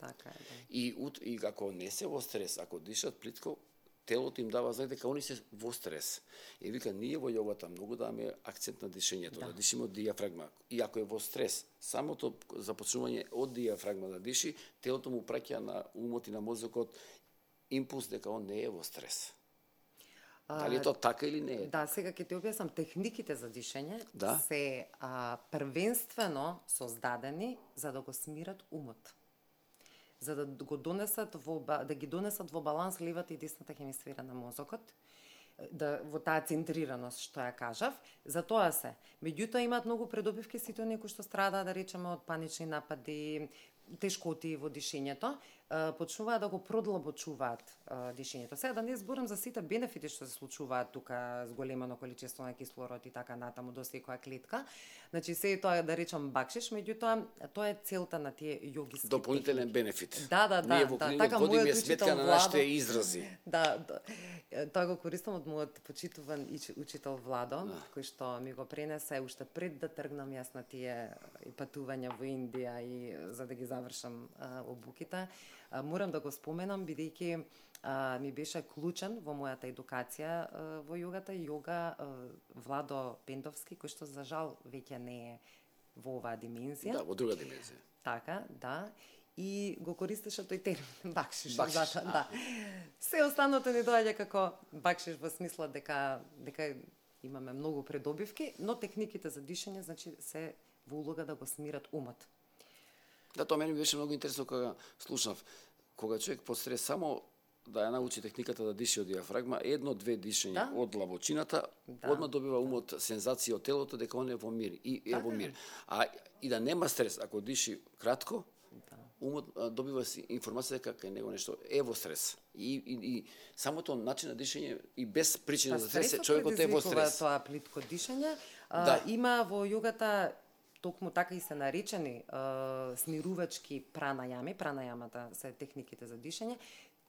Така е, да. И ако не се во стрес, ако дишат плитко, телото им дава знак дека они се во стрес. И вика, ние во јогата многу даваме акцент на дишењето, да дишиме од дијафрагма. И ако е во стрес, самото започнување од дијафрагма да диши, телото му праќа на умот и на мозокот импулс дека он не е во стрес. Дали е тоа така или не е? Да, сега ќе ти објаснам, техниките за дишење се првенствено создадени за да го смират умот. За да го донесат ги донесат во баланс левата и десната хемисфера на мозокот, во таа центрираност што ја кажав, за тоа се. Меѓутоа имаат многу предобивки сите оние кои што страдаат, да речеме, од панични напади, тешкоти во дишењето, почнуваат да го продлабочуваат дишењето. Сега да не зборам за сите бенефити што се случуваат тука, зголемено количество на кислород и така натаму до секоја клетка. Значи се тоа да речам бакшиш, меѓутоа тоа е целта на тие јогиски дополнителен бенефит. Да. Ние во клиникот водиме сметка на нашите изрази. Да. Тоа го користам од мојот почитуван учител Владо, кој што ми го пренесе уште пред да тргнам јас на тие патувања во Индија и за да ги завршам обуките. Морам да го споменам, бидејќи ми беше клучен во мојата едукација во јогата, Владо Пендовски, кој што за жал веќе не е во оваа димензија. Да, во друга димензија. Така, да. и го користеше тој термин бакшиш. Бакшиш, Да. Се останото ни доаѓа како бакшиш во смисла дека имаме многу предобивки, но техниките за дишење значи се во улога да го смират умот. Да, тоа мене ми беше многу интересно кога слушнав. Кога човек под стрес само да ја научи техниката да дише од диафрагма, едно-две дишења од длабочината, одма добива умот сензација од телото дека он е во мир и е во мир. И да нема стрес, ако диши кратко, умот добива информација дека кај него нешто е во стрес. И самото начин на дишење и без причина за стрес, човекот е во стрес. Тоа плитко дишење има во јогата токму така и се наречени смирувачки пранајами. Пранајамата се техниките за дишење.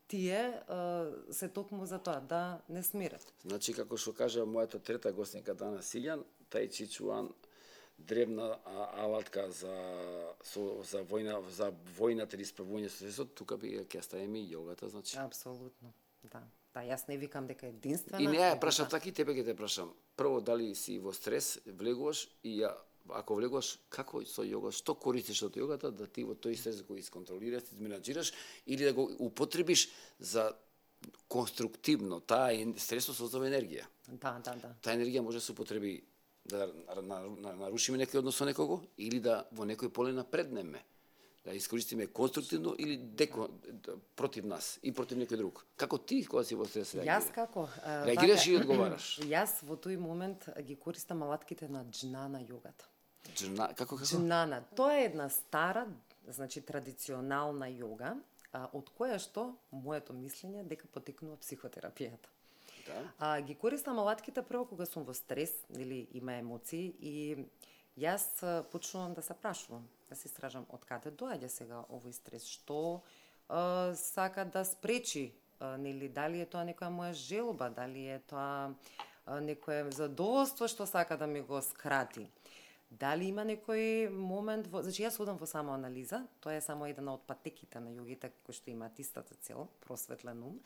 Тие се токму за тоа да не смират. Значи, како што кажа мојата трета гостинка Дана Силјан, тај чичуан древна алатка за војната или исправување со стресот, тука би ќе ставиме и јогата, значи. Апсолутно, да. Да, јас не викам дека е единствена. И не ја прашам така и тебе ќе те прашам. Прво, дали си во стрес, влегуваш и ако влегуваш, како со јога, што користиш од јогата да ти во тој стрес го исконтролираш, изменаџираш или да го употребиш за конструктивно. Таа стресот создава енергија. Да. Таа енергија може да се употреби да нарушиме некој однос со некого или да во некој поле напреднеме. Да искористиме конструктивно или против нас и против некој друг. Како ти кога си во стрес реагираш? Јас како? Реагираш и одговараш. Јас во тој момент ги користам алатките на джнана јогата. Како? Джнана. Тоа е една стара, значи традиционална јога, од која што моето мислење дека потекнува психотерапијата. Да. Ги користам алатките прво кога сум во стрес или има емоции и јас почнувам да се прашувам, да се истражам од каде доаѓа сега овој стрес, што сака да спречи, нели дали е тоа некоја моја желба, дали е тоа некое задоволство што сака да ми го скрати. Дали има некој момент значи јас одам во самоанализа, тоа е само една од патеките на јогите кои што имаат истата цел, просветлен ум.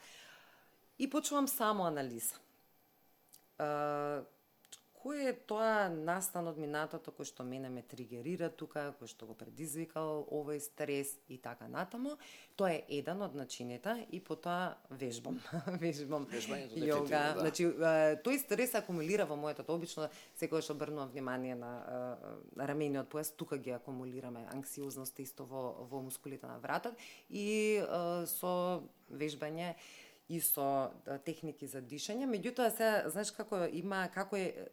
И почнувам самоанализа. Кој е тоа настан од минатото кој што мене ме тригерира тука, кој што го предизвикал овој стрес и така натаму. Тоа е еден од начините и потоа вежбам. Вежбањето јога. Да. Значи тој стрес акумулира во моето обично секогаш обрнувам внимание на рамениот појас, тука ги акумулираме анксиозност исто во мускулите на вратот и со вежбање и со техники за дишење, меѓутоа се, знаеш како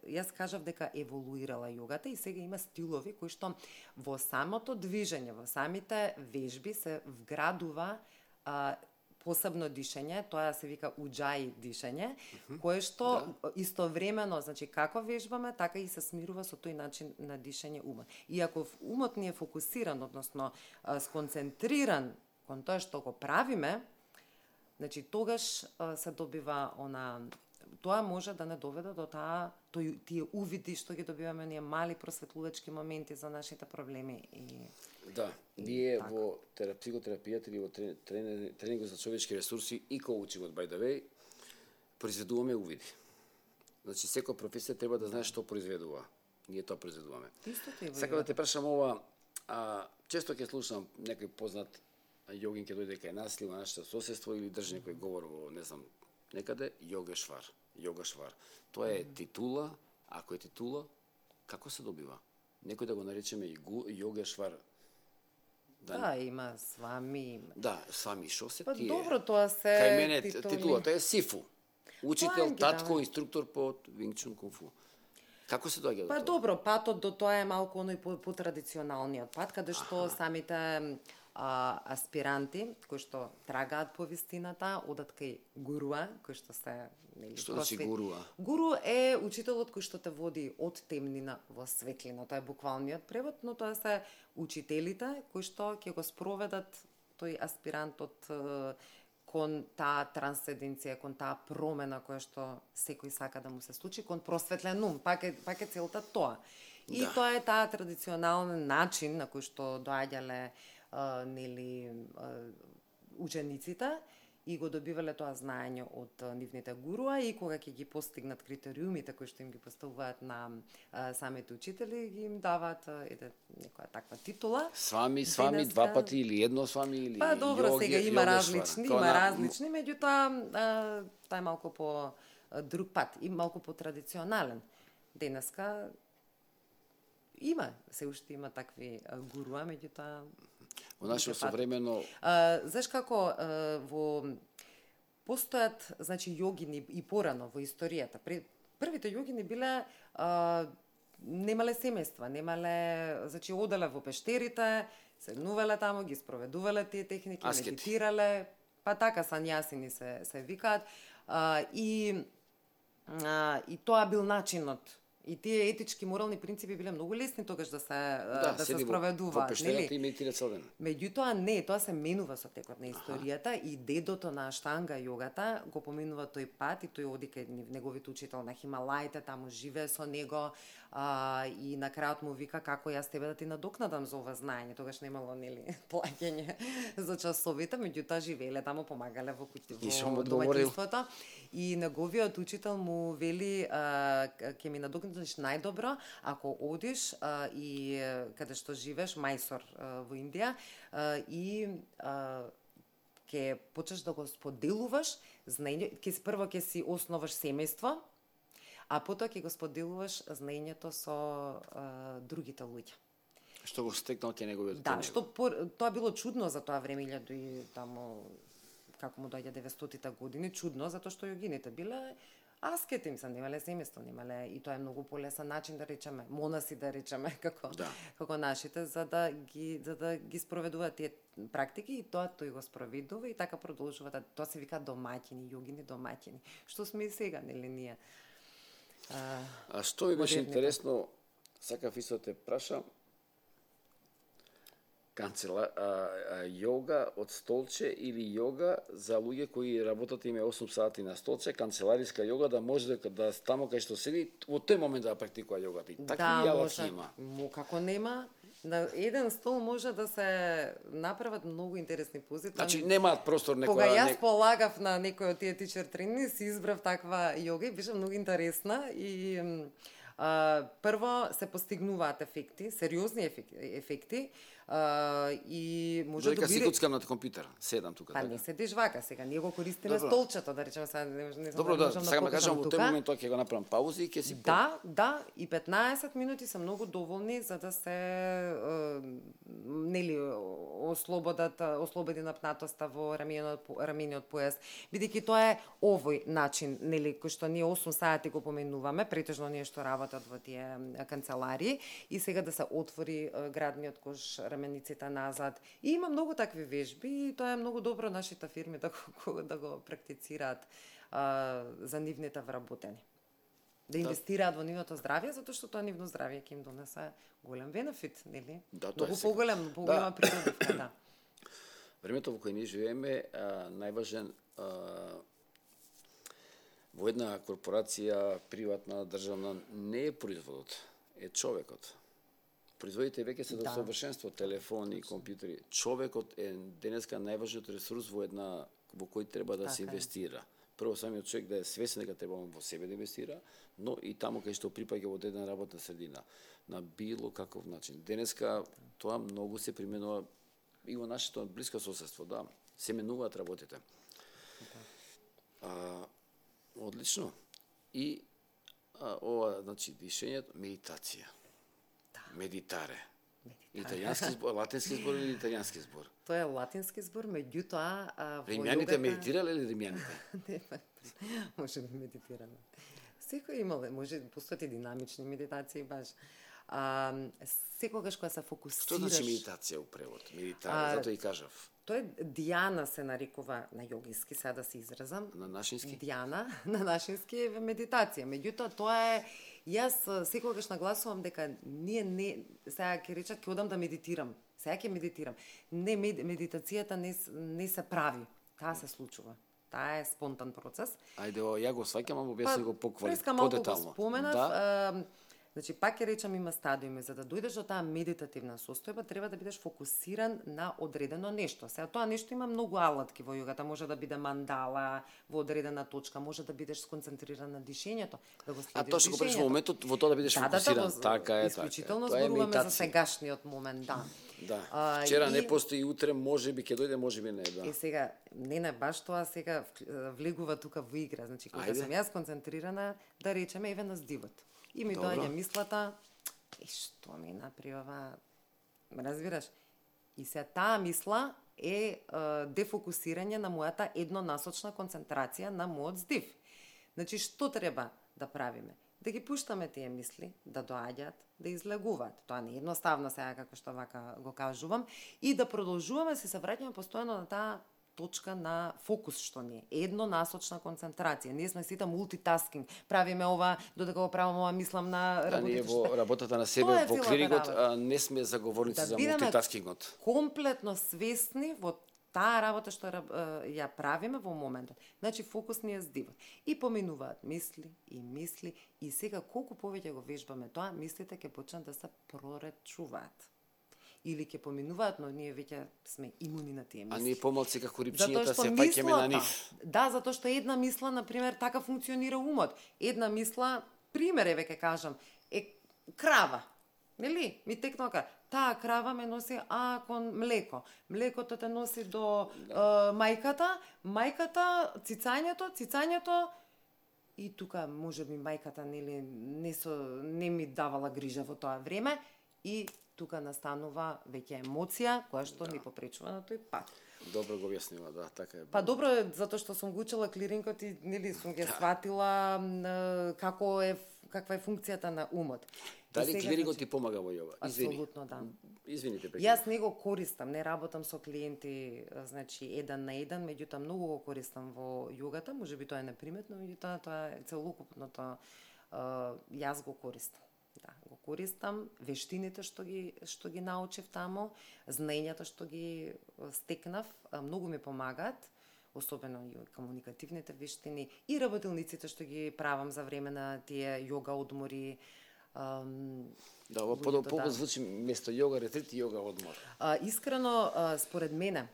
јас кажав дека еволуирала јогата и сега има стилови кои што во самото движење, во самите вежби се вградува посебно дишење, тоа се вика уџаи дишење, кое што истовремено, значи како вежбаме, така и се смирува со тој начин на дишење умот. И ако умот ни е фокусиран, односно сконцентриран кон тоа што го правиме, значи тогаш се добива тоа може да не доведе до тие увиди што ги добиваме ние мали просветлувачки моменти за нашите проблеми Да, ние во психотерапијата или во тренингот за човечки ресурси и коучингот by the way произведуваме увиди. Значи секоја професија треба да знае што произведува. Ние тоа произведуваме. Сакам да те прашам ова, често ќе слушам некој познат јогин ќе дојде кај нас или во нашето соседство или држи некој говор во, не знам, некаде, јогашвар. Тоа е титула, ако е титула, како се добива? Некој да го наречеме и јогашвар. Да, има свами. Да, свами, шо се тие? Добро, тоа се кај мене титулата е Сифу. Учител, татко, инструктор по Винг Чун Кунг Фу. Како се доаѓа до тоа? Добро, патот до тоа е малку оној по-традиционалниот пат, каде што самите аспиранти кои што трагаат по вистината одат кај гуруа, кој што се Што значи гуруа? Гуру е учителот кој што те води од темнина во светлина. Тоа е буквалниот превод, но тоа се учителите кои што ќе го спроведат тој аспирантот кон таа трансценденција, кон таа промена која што секој сака да му се случи, кон просветлен ум, пак е целта тоа. И тоа е таа традиционален начин на кој што доаѓале учениците и го добивале тоа знаење од нивните гуруа и кога ќе ги постигнат критериумите кои што им ги поставуваат на самите учители, ги им даваат некоја таква титула. Свами, два пати или едно свами или па добро, йоги, сега има различни, меѓутоа тоа е малку по друг пат и малку по традиционален. Денеска се уште има такви гуруа, меѓутоа во наше современо знаеш како постојат, значи, јогини и порано во историјата. Првите јогини биле немале семејства, значи оделе во пештерите, седнувале таму, ги спроведувале тие техники, медитирале, па така санјасини се викаат, и тоа бил начинот. И тие етички морални принципи биле многу лесни тогаш да се спроведува, нели? И медитира цел ден. Меѓутоа тоа се менува со текот на историјата и дедото на Аштанга јогата го поминува тој пат и тој оди кај неговиот учител на Хималаите, таму живее со него и на крајот му вика како јас тебе да ти надокнадам за ова знаење. Тогаш немало, нели, плаќање за часовите, меѓутоа живееле таму, помагале во домаќинството. И неговиот учител му вели ќе ми надокнадиш најдобро ако одиш и каде што живееш, Мајсор во Индија, и ќе почнеш да го споделуваш знаење, прво ќе си основаш семејство, а потоа ќе го споделуваш знаењето со другите луѓе. Што го стекнал ке неговиот Да, тоа било чудно за тоа време, и таму како му доаѓа 900-тите години, чудно затоа што јогините биле аскети, немале семејство, и тоа е многу полесен начин, да речеме, монаси, да речеме, како нашите, за да ги спроведуваат тие практики, и тоа тој го спроведува и така продолжува. Тоа се вика домаќини, јогини домаќини. Што сме и сега, нели ние? А што ми беше интересно, сакав исто те прашам, јога од столче или јога за луѓе кои работат име 8 сати на столче, канцелариска јога, да може да таму кај што седи во тој момент да практикува јогата. И такви јалаци има. Како нема, на еден стол може да се направат многу интересни пози. Значи немаат простор некоја. Кога јас полагав на некој од тие тичер тренинги, си избрав таква јога и беше многу интересна и прво се постигнуваат ефекти, сериозни ефекти, и може да си куцкам на компјутер, седам тука. Па не седиш вака сега, ние го користиме столчето, да речеме сега, не добро, да сега ме кажам, во тој момент тоа ќе го направам паузи и ќе си Да, и 15 минути се многу доволни за да се нели ослободи напнатоста во рамениот појас, бидејќи тоа е овој начин, нели, кој што ние 8 сати го поменуваме, претежно ние што работат во тие канцеларии, и сега да се отвори градниот кош, рамениците назад. И има многу такви вежби и тоа е многу добро нашите фирми да го практицираат за нивните вработени. Да инвестираат во нивното здравје, затоа што тоа нивно здравје ќе им донесе голем бенефит, нели? Да, многу поголема придобивка, да. Времето во кое ние живееме, најважен во една корпорација, приватна, државна, не е производот, е човекот. Производите веќе се до совршенство, телефони, компјутери. Човекот е денеска најважниот ресурс во кој треба да се инвестира. Прво самиот човек да е свесен дека треба во себе да инвестира, но и таму кај што припаѓа во една работна средина, на било каков начин. Денеска тоа многу се применува и во нашето блиско соседство, да, се менуваат работите. Одлично. И ова, значи, дишењето, медитација. Медитаре. Италијански збор, латински збор или италијански збор? Тоа е латински збор, меѓутоа римјаните медитирале или римјаните? Не, може би медитираме. Секој имале, може постојат и динамични медитации баш. Секогаш кога се фокусираш. Што значи медитација у превод? Медитаре, затоа и кажав. Тоа е дијана се нарекува на јогински, сега да се изразам. На нашински? Дијана, на нашински е медитација. Меѓутоа тоа е, јас секогаш нагласувам дека ние сега ќе речат ќе одам да медитирам. Сега ќе медитирам. Не, медитацијата не се прави. Таа се случува. Таа е спонтан процес. Ајде, ја го сваќам, ама објасни го по детално. Преска малку го споменав. Да. Значи, пак ќе речам, има стадиуми. За да дојдеш до таа медитативна состојба, треба да бидеш фокусиран на одредено нешто. Сега, тоа нешто има многу алатки во јогата. Може да биде мандала во одредена точка, може да бидеш сконцентриран на дишењето, да го следиш тоа што го преш во дишењето. моментот, во тоа да бидеш фокусиран. Така е, исклучително така е. зборуваме за медитација. сегашниот момент, да. Да. Вчера не постои, утре можеби ќе дојде, можеби не, да. И сега, не баш тоа сега влегува тука во игра. Значи, кога сум јас концентрирана, да речеме, еве на здивот. И ми доаѓа мислата, што ми направи ова, разбираш? И се таа мисла е дефокусирање на мојата еднонасочна концентрација на мојот здив. Значи, што треба да правиме? Да ги пуштаме тие мисли, да доаѓаат, да излегуваат. Тоа не е едноставно сега, како што вака го кажувам, и да продолжуваме се враќаме постојано на таа точка на фокус што ни е. Еднонасочна концентрација. Ние сме сите мултитаскинг. Правиме ова, додека го правам ова, мислам на работите. Да, ние во работата на себе, во клиникот, не сме заговорници за мултитаскингот. Комплетно свесни во таа работа што ја правиме во моментот. Значи, фокус ни е здивот. И поминуваат мисли, и сега колку повеќе го вежбаме тоа, мислите ќе почнат да се проречуваат. Или ќе поминуваат, но ние веќе сме имуни на тие мисли. А ние помалци како рипчињата се паќаме на нив. Да, затоа што една мисла, например, така функционира умот. Една мисла, пример еве ќе кажам, е крава. Нели? Ми текнува крава. Таа крава ме носи кон млеко. Млекото те носи до мајката, цицањето, и тука можеби мајката нели не ми давала грижа во тоа време, и тука настанува веќе емоција која што ни попречува на тој пат. Добро го објаснила, да, така е. Па добро е, затоа што сум го учила клиринкот и нели сум ги сватила каква е функцијата на умот. Дали клирингот ти помага во јога? Апсолутно, да. Извините, Јас не го користам, не работам со клиенти, значи, еден на еден, меѓутоа многу го користам во јогата, можеби тоа е неприметно, меѓутоа тоа е целокупното, јас го користам. Да, го користам, вештините што ги научив таму, знаењата што ги стекнав, многу ми помагаат, особено и комуникативните вештини и работилниците што ги правам за време на тие јога одмори. Да, ова подобро звучи место јога ретрит и јога одмор. Искрено, според мене,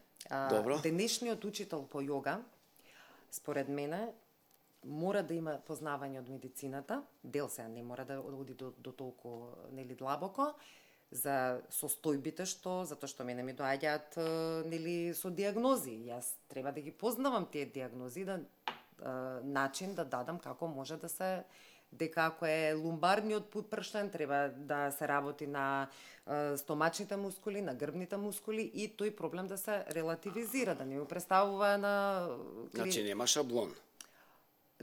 денешниот учител по јога, според мене, мора да има познавање од медицината, дел сега не мора да оди до толку нели длабоко, за состојбите затоа што мене ми доаѓаат нели со диагнози. Јас треба да ги познавам тие диагнози, начин да дадам како може да се, дека ако е лумбарниот прштен, треба да се работи на стомачните мускули, на грбните мускули и тој проблем да се релативизира, да не го представува на... Значи нема шаблон.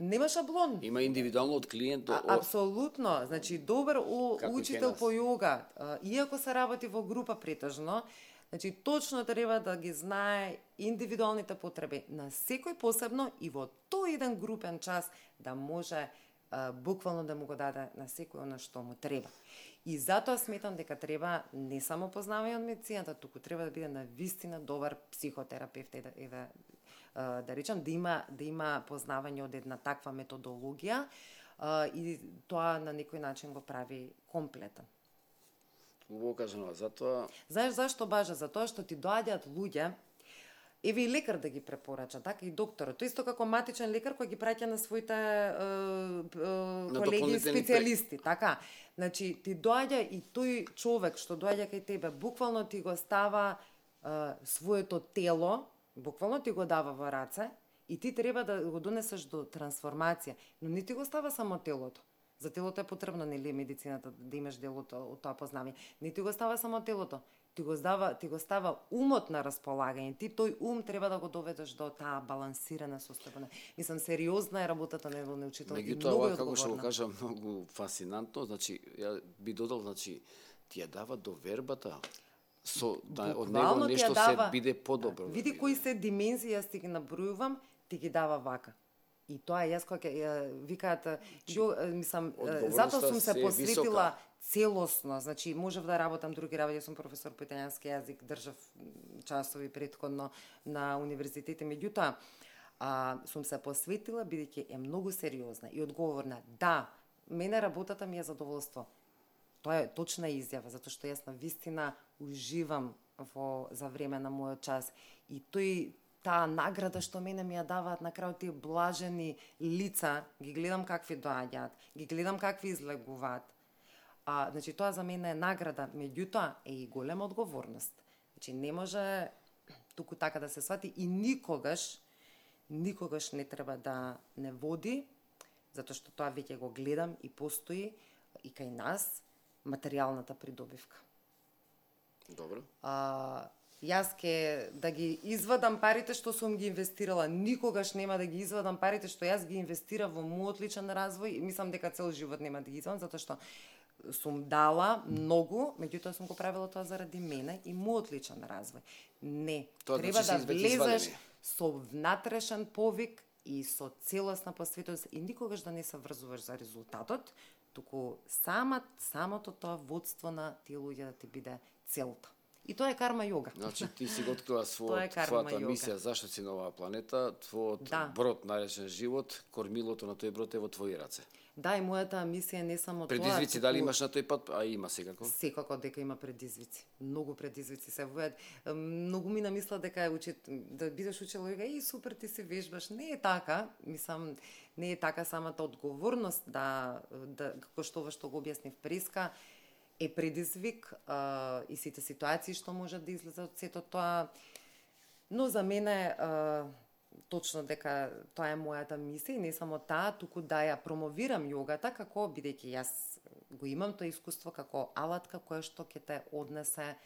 Нема шаблон. Има индивидуално од клиент до... Апсолутно. Значи, добар учител по јога, иако се работи во група претежно, значи, точно треба да ги знае индивидуалните потреби на секој посебно и во тој еден групен час да може буквално да му го даде на секој она што му треба. И затоа сметам дека треба не само познавање од медицината, туку треба да биде на вистина добар психотерапевт, да речам, да има познавање од една таква методологија и тоа на некој начин го прави комплетен. Убаво кажано, затоа... Знаеш зашто бажа? Затоа што ти доаѓаат луѓе, еве и лекар да ги препорача, така и докторот. Тоа исто како матичен лекар кој ги праќа на своите колеги специјалисти, така. Значи, ти доаѓа и тој човек што доаѓа кај тебе, буквално ти го става своето тело, буквално ти го дава во раце и ти треба да го донесеш до трансформација, но не ти го става само телото. За телото е потребно, нели, медицината да имаш делото од тоа познавање. Не ти го става само телото, ти го става умот на располагање. Ти тој ум треба да го доведеш до таа балансирана состојба. Мислам, сериозна е работата на еден учител и многу е одговорна. Како што го кажа, многу фасинантно, значи ја би додал, значи ти ја дава довербата од него нешто се биде подобро. Види кои се димензии, јас ти ги набројувам, ти ги дава вака. И тоа јас кога викаат, мислам, затоа сум се посветила целосно, значи можев да работам други работи, јас сум професор по италијански јазик, држав часови претходно на универзитете, меѓутоа сум се посветила бидејќи е многу сериозна и одговорна. Да, мене работата ми е задоволство. тоа е точна изјава, затоа што јас на вистина уживам за време на мојот час и таа награда што мене ми ја даваат на крајот тие блажени лица, ги гледам какви доаѓаат, ги гледам какви излегуваат. Значи тоа за мене е награда, меѓутоа е и голема одговорност. Значи не може туку така да се свати и никогаш не треба да не води, затоа што тоа веќе го гледам и постои и кај нас материјалната придобивка. Добро. Јас ке да ги извадам парите што сум ги инвестирала, никогаш нема да ги извадам парите што јас ги инвестирав во мојот личен развој и мислам дека цел живот нема да ги извадам, затоа што сум дала многу, меѓутоа сум го правила тоа заради мене и мојот личен развој. Не, тоа треба значи да влезеш со внатрешен повик и со целосна посветеност и никогаш да не се врзуваш за резултатот, туку самото тоа водство на тие луѓе да ти биде целта. И тоа е карма йога. Значи ти си го открила твојата мисија, зашто си на оваа планета, твојот брод наречен живот, кормилото на тој брод е во твои раце. Да, и мојата мисија не само тоа. Предизвици дали имаш на тој пат, а има секако? Секако дека има предизвици. Многу предизвици се војат. Многу ми намисла дека да бидеш учел йога и супер ти се вежбаш. Не е така, мислам, не е така самата одговорност да како што ова што го објаснив преска е предизвик и сите ситуации што можат да излезат од сето тоа. Но за мене точно дека тоа е мојата мисија и не само таа, туку да ја промовирам јогата како бидејќи јас го имам тоа искуство како алатка која што ќе те однесе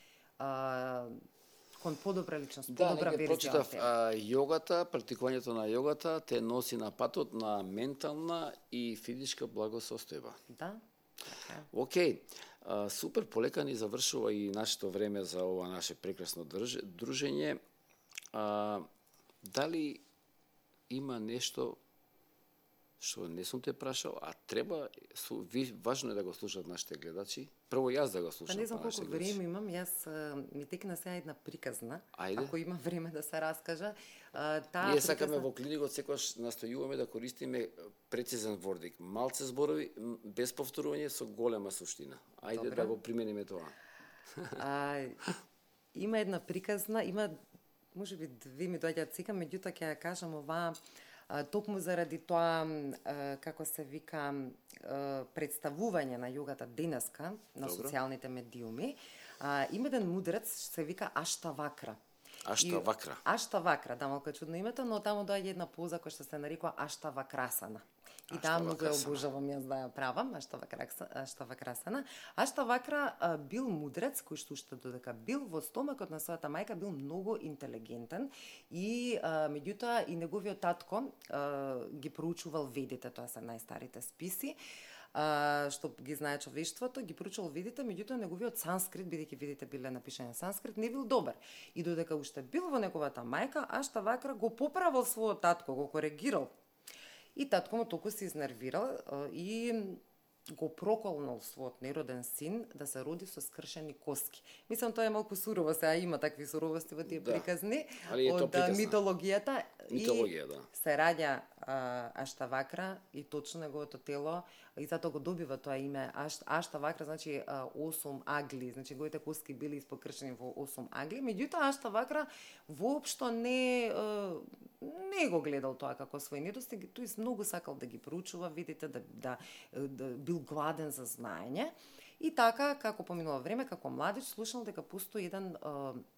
кон подобра личност, подобра верзија од тебе. Јогата, практикувањето на јогата те носи на патот на ментална и физичка благосостојба. Да. Океј. Супер, полека ни завршува и нашето време за ова наше прекрасно дружење. Дали има нешто што не сум те прашал, а треба, важно е да го слушат нашите гледачи. Прво јас да го слушам. Не знам колку време имам, јас ми текна сега една приказна. Ајде. Ако има време да се раскажа. Ние сакаме во клиникот секогаш настојуваме да користиме прецизен вордик. Малце зборови, без повторување, со голема суштина. Ајде да го примениме тоа. Има една приказна, можеби две ми доаѓаат сега, меѓутоа ќе ја кажам оваа токму заради тоа, како се вика, представување на јогата денеска на социјалните медиуми. Има еден мудрец, се вика Аштавакра. Аштавакра, да, малку чудно името, но таму доаѓа една поза која што се нарекува Аштавакрасана. И таа многу ја обожавам јас да ја правам, Аштавакрасана. Аштавакра бил мудрец, кој што уште додека бил во стомакот на својата мајка, бил многу интелигентен и меѓутоа и неговиот татко ги проучувал ведите, тоа се најстарите списи, што ги знае човештвото, ги проучувал ведите, меѓутоа неговиот санскрит, бидејќи ведите биле напишани на санскрит, не бил добар. И додека уште бил во неговата мајка, Аштавакра го поправил својот татко, го коригирал. И татко му толку се изнервирал и го проколнал својот нероден син да се роди со скршени коски. Мислам, тоа е малку сурово, сега има такви суровости во тие приказни од митологијата. Митологија, да. Се раѓа Аштавакра и точно неговото тело, и затоа го добива тоа име Аштавакра, значи 8 агли, значи неговите коски били испокршени во 8 агли, меѓутоа Аштавакра воопшто не го гледал тоа како свој недостиг, тој многу сакал да ги проучува, видите, да бил гладен за знаење. И така, како поминува време, како младич, слушнал дека постои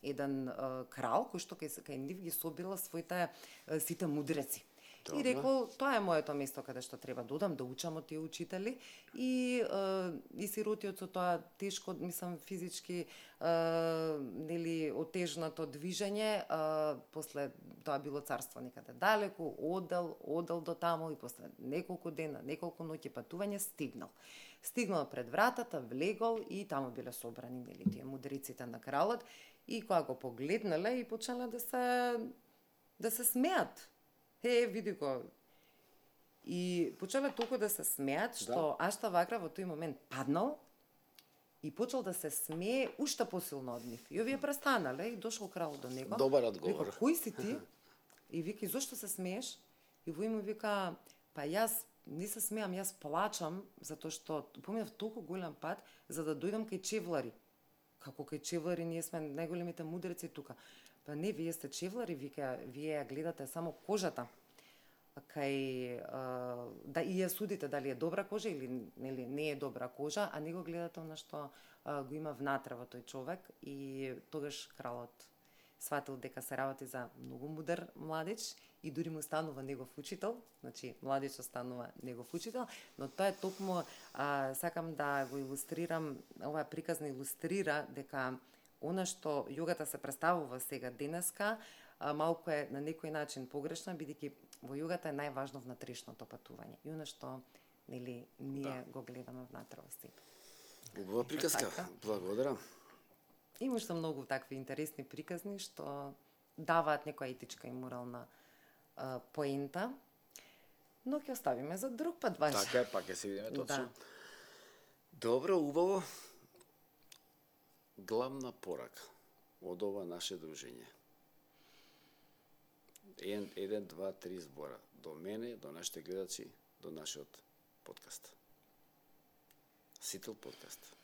еден крал кој што кај нив ги собирал своите сите мудреци. И рекол, тоа е моето место каде што треба да одам, да учам од тие учители и сиротиот со тоа тешко, мислам, физички нели отежнато движење, после тоа било царство некаде далеку, одел до таму и после неколку дена, неколку ноќи патување стигнал пред вратата, влегол и таму биле собрани нели тие мудреците на кралот и кога го погледнале и почнале да се смеат. Види го. И почеле толку да се смеат, што Аштавакра во тој момент паднал и почел да се смее уште посилно од нив. И овие престанале и дошол крал до него. Добар одговор. Вика, кој си ти? И вика, зошто се смееш? И во му вика, па јас не се смеам, јас плачам затоа што поминав толку голем пат за да дојдам кај чевлари. Како кај чевлари, ние сме најголемите мудреци тука. Па не, вие сте чевлари, вие ја гледате само кожата. Кај да и ја судите дали е добра кожа или нели не е добра кожа, а не го гледате она што го има внатре во тој човек, и тогаш кралот сватил дека се работи за многу мудар младич и дури му станува негов учител, значи младичот станува негов учител, но тоа е токму, сакам да го илустрирам, оваа приказ не илустрира дека она што јогата се представува сега денеска, малку е на некој начин погрешна, бидејќи во јогата е најважно внатрешното патување. И она што нели ние го гледаме внатре во себе. Убава приказка. Благодарам. Има уште многу такви интересни приказни што даваат некоја етичка и морална поента, но ќе оставиме за друг пат Ваня. Така е, пак ќе се видиме точно. Да. Добро, убаво. Главна порака од ова наше дружење. 1, 2, 3 збора. До мене, до нашите гледачи, до нашиот подкаст. Сител подкаст.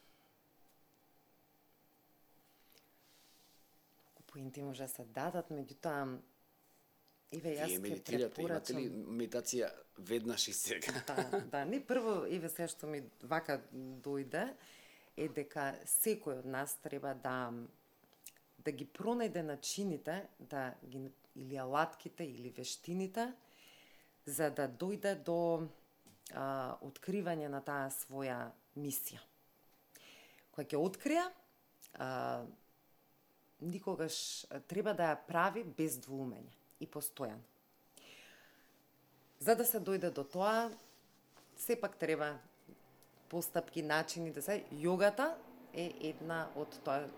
Поинти може да се дадат, меѓутоа Иве, јас Вие ќе медитирате, имате ли препорачам. медитација веднаш и сега? Да, не прво, Иве, се што ми вака дојде, е дека секој од нас треба да ги пронајде начините, да ги или алатките, или вештините, за да дојде до откривање на таа своја мисија. Која ќе открија, никогаш треба да ја прави без двоумење и постојано. За да се дојде до тоа, сепак треба постапки, начини да се. Јогата е една од тоа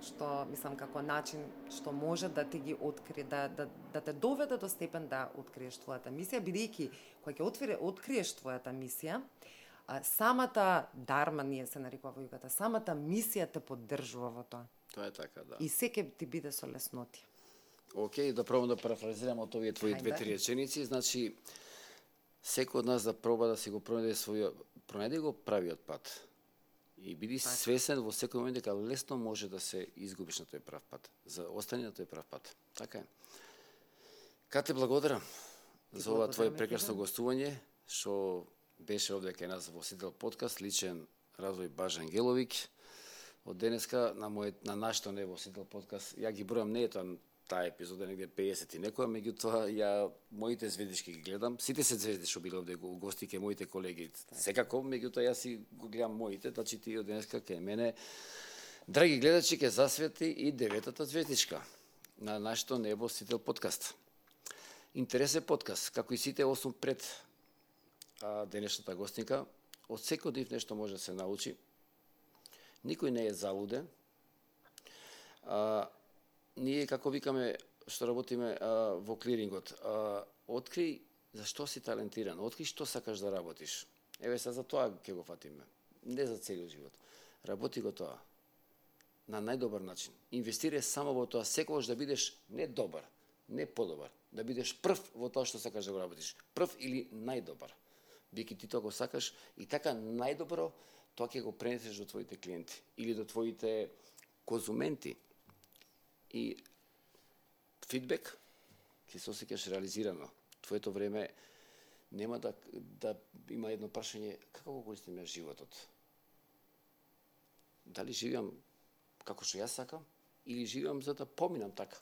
што, мислам, како начин што може да ти ги открие, да те доведе до степен да откриеш твојата мисија, бидејќи кога ќе откриеш твојата мисија, самата дарма, ние се нарекува во јогата, самата мисија те поддржува во тоа. Тоа е така, да. И се ќе ти биде со леснотија. Океј, да пробам да парафразирам од овие твои две-три реченици. Значи, секој од нас да проба да си го пронајде го правиот пат. И биди свесен во секој момент дека лесно може да се изгубиш на тој прав пат. За остани на тој прав пат. Така е. Кате, благодарам за ова твое прекрасно гостување, што беше овде кај нас во Сител подкаст, личен развој Бажа Ангеловиќ. Од денеска на нашето нево Сител подкаст, ја ги бројам, не е тоа таа епизода негде 50 и некоја, меѓутоа ја моите звездички ги гледам. Сите се звезди што биле овде гости ке моите колеги. Секако, меѓутоа јас си го гледам моите, значи ти од денеска кај мене. Драги гледачи, ке засвети и 9-та звездичка на нашето небо Сител подкаст. Интересен подкаст, како и сите 8 пред денешната гостника. Од секој од нив нешто може да се научи. Никој не е залуден. Ние, како викаме, што работиме во клирингот, откри зашто си талентиран, откри што сакаш да работиш. Еве се за тоа ќе го фатиме. Не за целиот живот. Работи го тоа на најдобар начин. Инвестирај само во тоа, секогаш да бидеш не добар, не подобар, да бидеш прв во тоа што сакаш да го работиш. Прв или најдобар. Бидејќи ти тоа го сакаш и така најдобро тоа ќе го пренесеш до твоите клиенти или до твоите конзументи. И фидбек ќе се осеќаш реализирано. Твоето време нема да има едно прашање како го користим ја животот. Дали живеам како што јас сакам или живеам за да поминам така?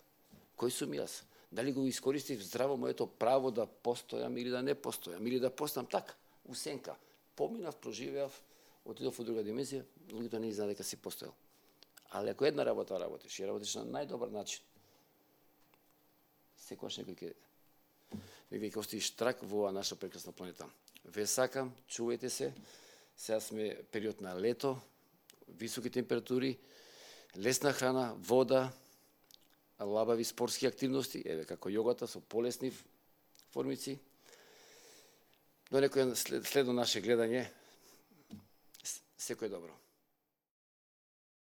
Кој сум јас? Дали го искористив здраво моето право да постојам или да не постојам или да постанам така, усенка. Поминав, проживеав, отидов во друга димензија, луѓето не знаат дека си постоел. Ali ако една работа работиш и работиш на најдобар начин, секогаш некој ќе оставиш трак во оваа наша прекрасна планета. Ве сакам, чувајте се. Сега сме период на лето, високи температури, лесна храна, вода, лабави спортски активности, еве како јогата со полесни формици. До некој следно наше гледање. Секој добро.